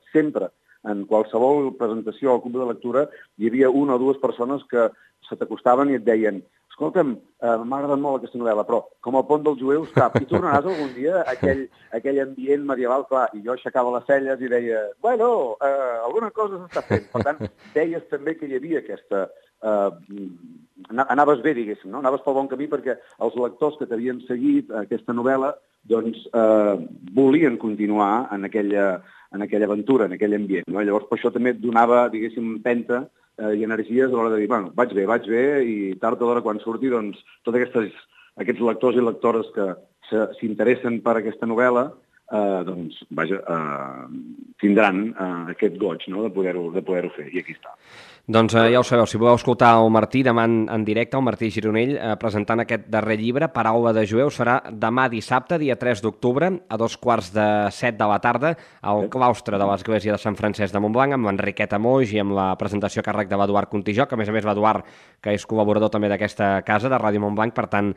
Speaker 11: en qualsevol presentació o club de lectura, hi havia una o dues persones que se t'acostaven i et deien escolta'm, m'ha agradat molt aquesta novel·la, però com El Pont dels Jueus, cap, i tornaràs algun dia a aquell ambient medieval, clar, i jo aixecava les celles i deia, bueno, alguna cosa s'està fent. Per tant, deies també que hi havia aquesta... Anaves bé, diguéssim, no? Anaves pel bon camí perquè els lectors que t'havien seguit aquesta novel·la doncs volien continuar en aquella aventura, en aquell ambient, no? Llavors, per això també et donava, diguéssim, empenta i energies a l'hora de dir, bueno, vaig bé, i tard o d'hora quan surti, doncs, tots aquests lectors i lectores que s'interessen per aquesta novel·la, doncs, vaja, tindran aquest goig, no?, de poder-ho fer, i aquí està.
Speaker 3: Doncs ja ho sabeu, si voleu escoltar el Martí demà en directe, el Martí Gironell, presentant aquest darrer llibre, Paraula de Jueu, serà demà dissabte, dia 3 d'octubre, a 2:45 de la tarda, al claustre de l'Església de Sant Francesc de Montblanc, amb l'Enriqueta Moix i amb la presentació a càrrec de l'Eduard Contijó, que a més l'Eduard, que és col·laborador també d'aquesta casa, de Ràdio Montblanc, per tant,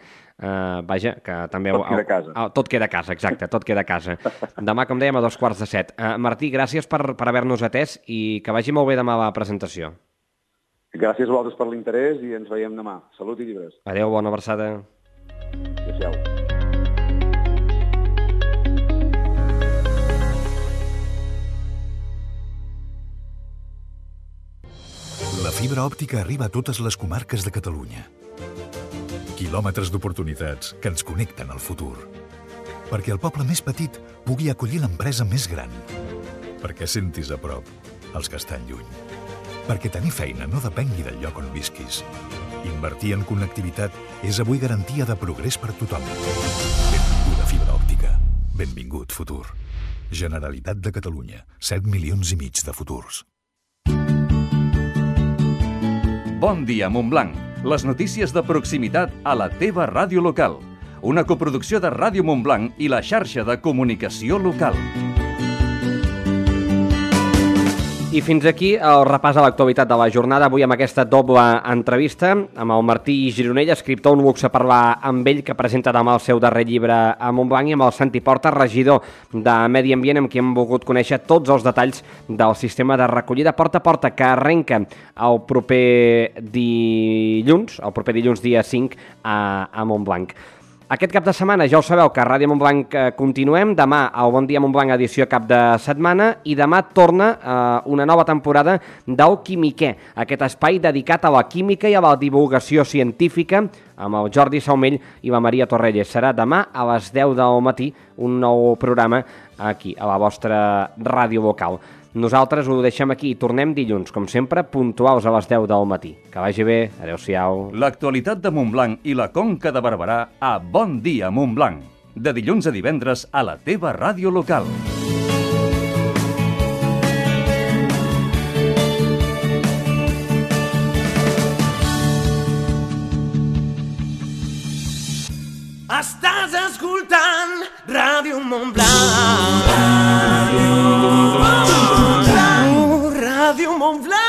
Speaker 3: vaja, que també...
Speaker 11: Tot queda a casa.
Speaker 3: Tot queda a casa, exacte, tot queda a casa. Demà, com dèiem, a 2:45. Martí, gràcies per haver-nos atès i que vagi molt bé demà la presentació.
Speaker 11: Gràcies a vosaltres per l'interès i ens veiem demà. Salut i llibres.
Speaker 3: Adéu, bona abraçada.
Speaker 11: Adéu.
Speaker 12: La fibra òptica arriba a totes les comarques de Catalunya. Quilòmetres d'oportunitats que ens connecten al futur. Perquè el poble més petit pugui acollir l'empresa més gran. Perquè sentis a prop els que estan lluny. Perquè tenir feina no depengui del lloc on visquis. Invertir en connectivitat és avui garantia de progrés per tothom. Benvinguda fibra òptica. Benvingut futur. Generalitat de Catalunya. 7,5 milions de futurs.
Speaker 2: Bon dia, Montblanc. Les notícies de proximitat a la teva ràdio local. Una coproducció de Ràdio Montblanc i la xarxa de comunicació local.
Speaker 3: I fins aquí el repàs a l'actualitat de la jornada, avui amb aquesta doble entrevista amb el Martí Gironell, escriptor, un luxe parlar amb ell, que presenta demà el seu darrer llibre a Montblanc, i amb el Santi Porta, regidor de Medi Ambient, amb qui hem volgut conèixer tots els detalls del sistema de recollida porta a porta, que arrenca el proper dilluns dia 5 a Montblanc. Aquest cap de setmana ja ho sabeu que a Ràdio Montblanc continuem, demà al Bon Dia Montblanc edició cap de setmana, i demà torna una nova temporada del Quimiquer, aquest espai dedicat a la química i a la divulgació científica amb el Jordi Saumell i la Maria Torrelles. Serà demà a les 10 del matí un nou programa aquí, a la vostra ràdio local. Nosaltres ho deixem aquí i tornem dilluns, com sempre, puntuals a les 10 del matí. Que vagi bé, adeu-siau.
Speaker 2: L'actualitat de Montblanc i la Conca de Barberà a Bon Dia Montblanc. De dilluns a divendres a la teva ràdio local.
Speaker 1: Estàs escoltant Ràdio Montblanc. Ràdio Montblanc.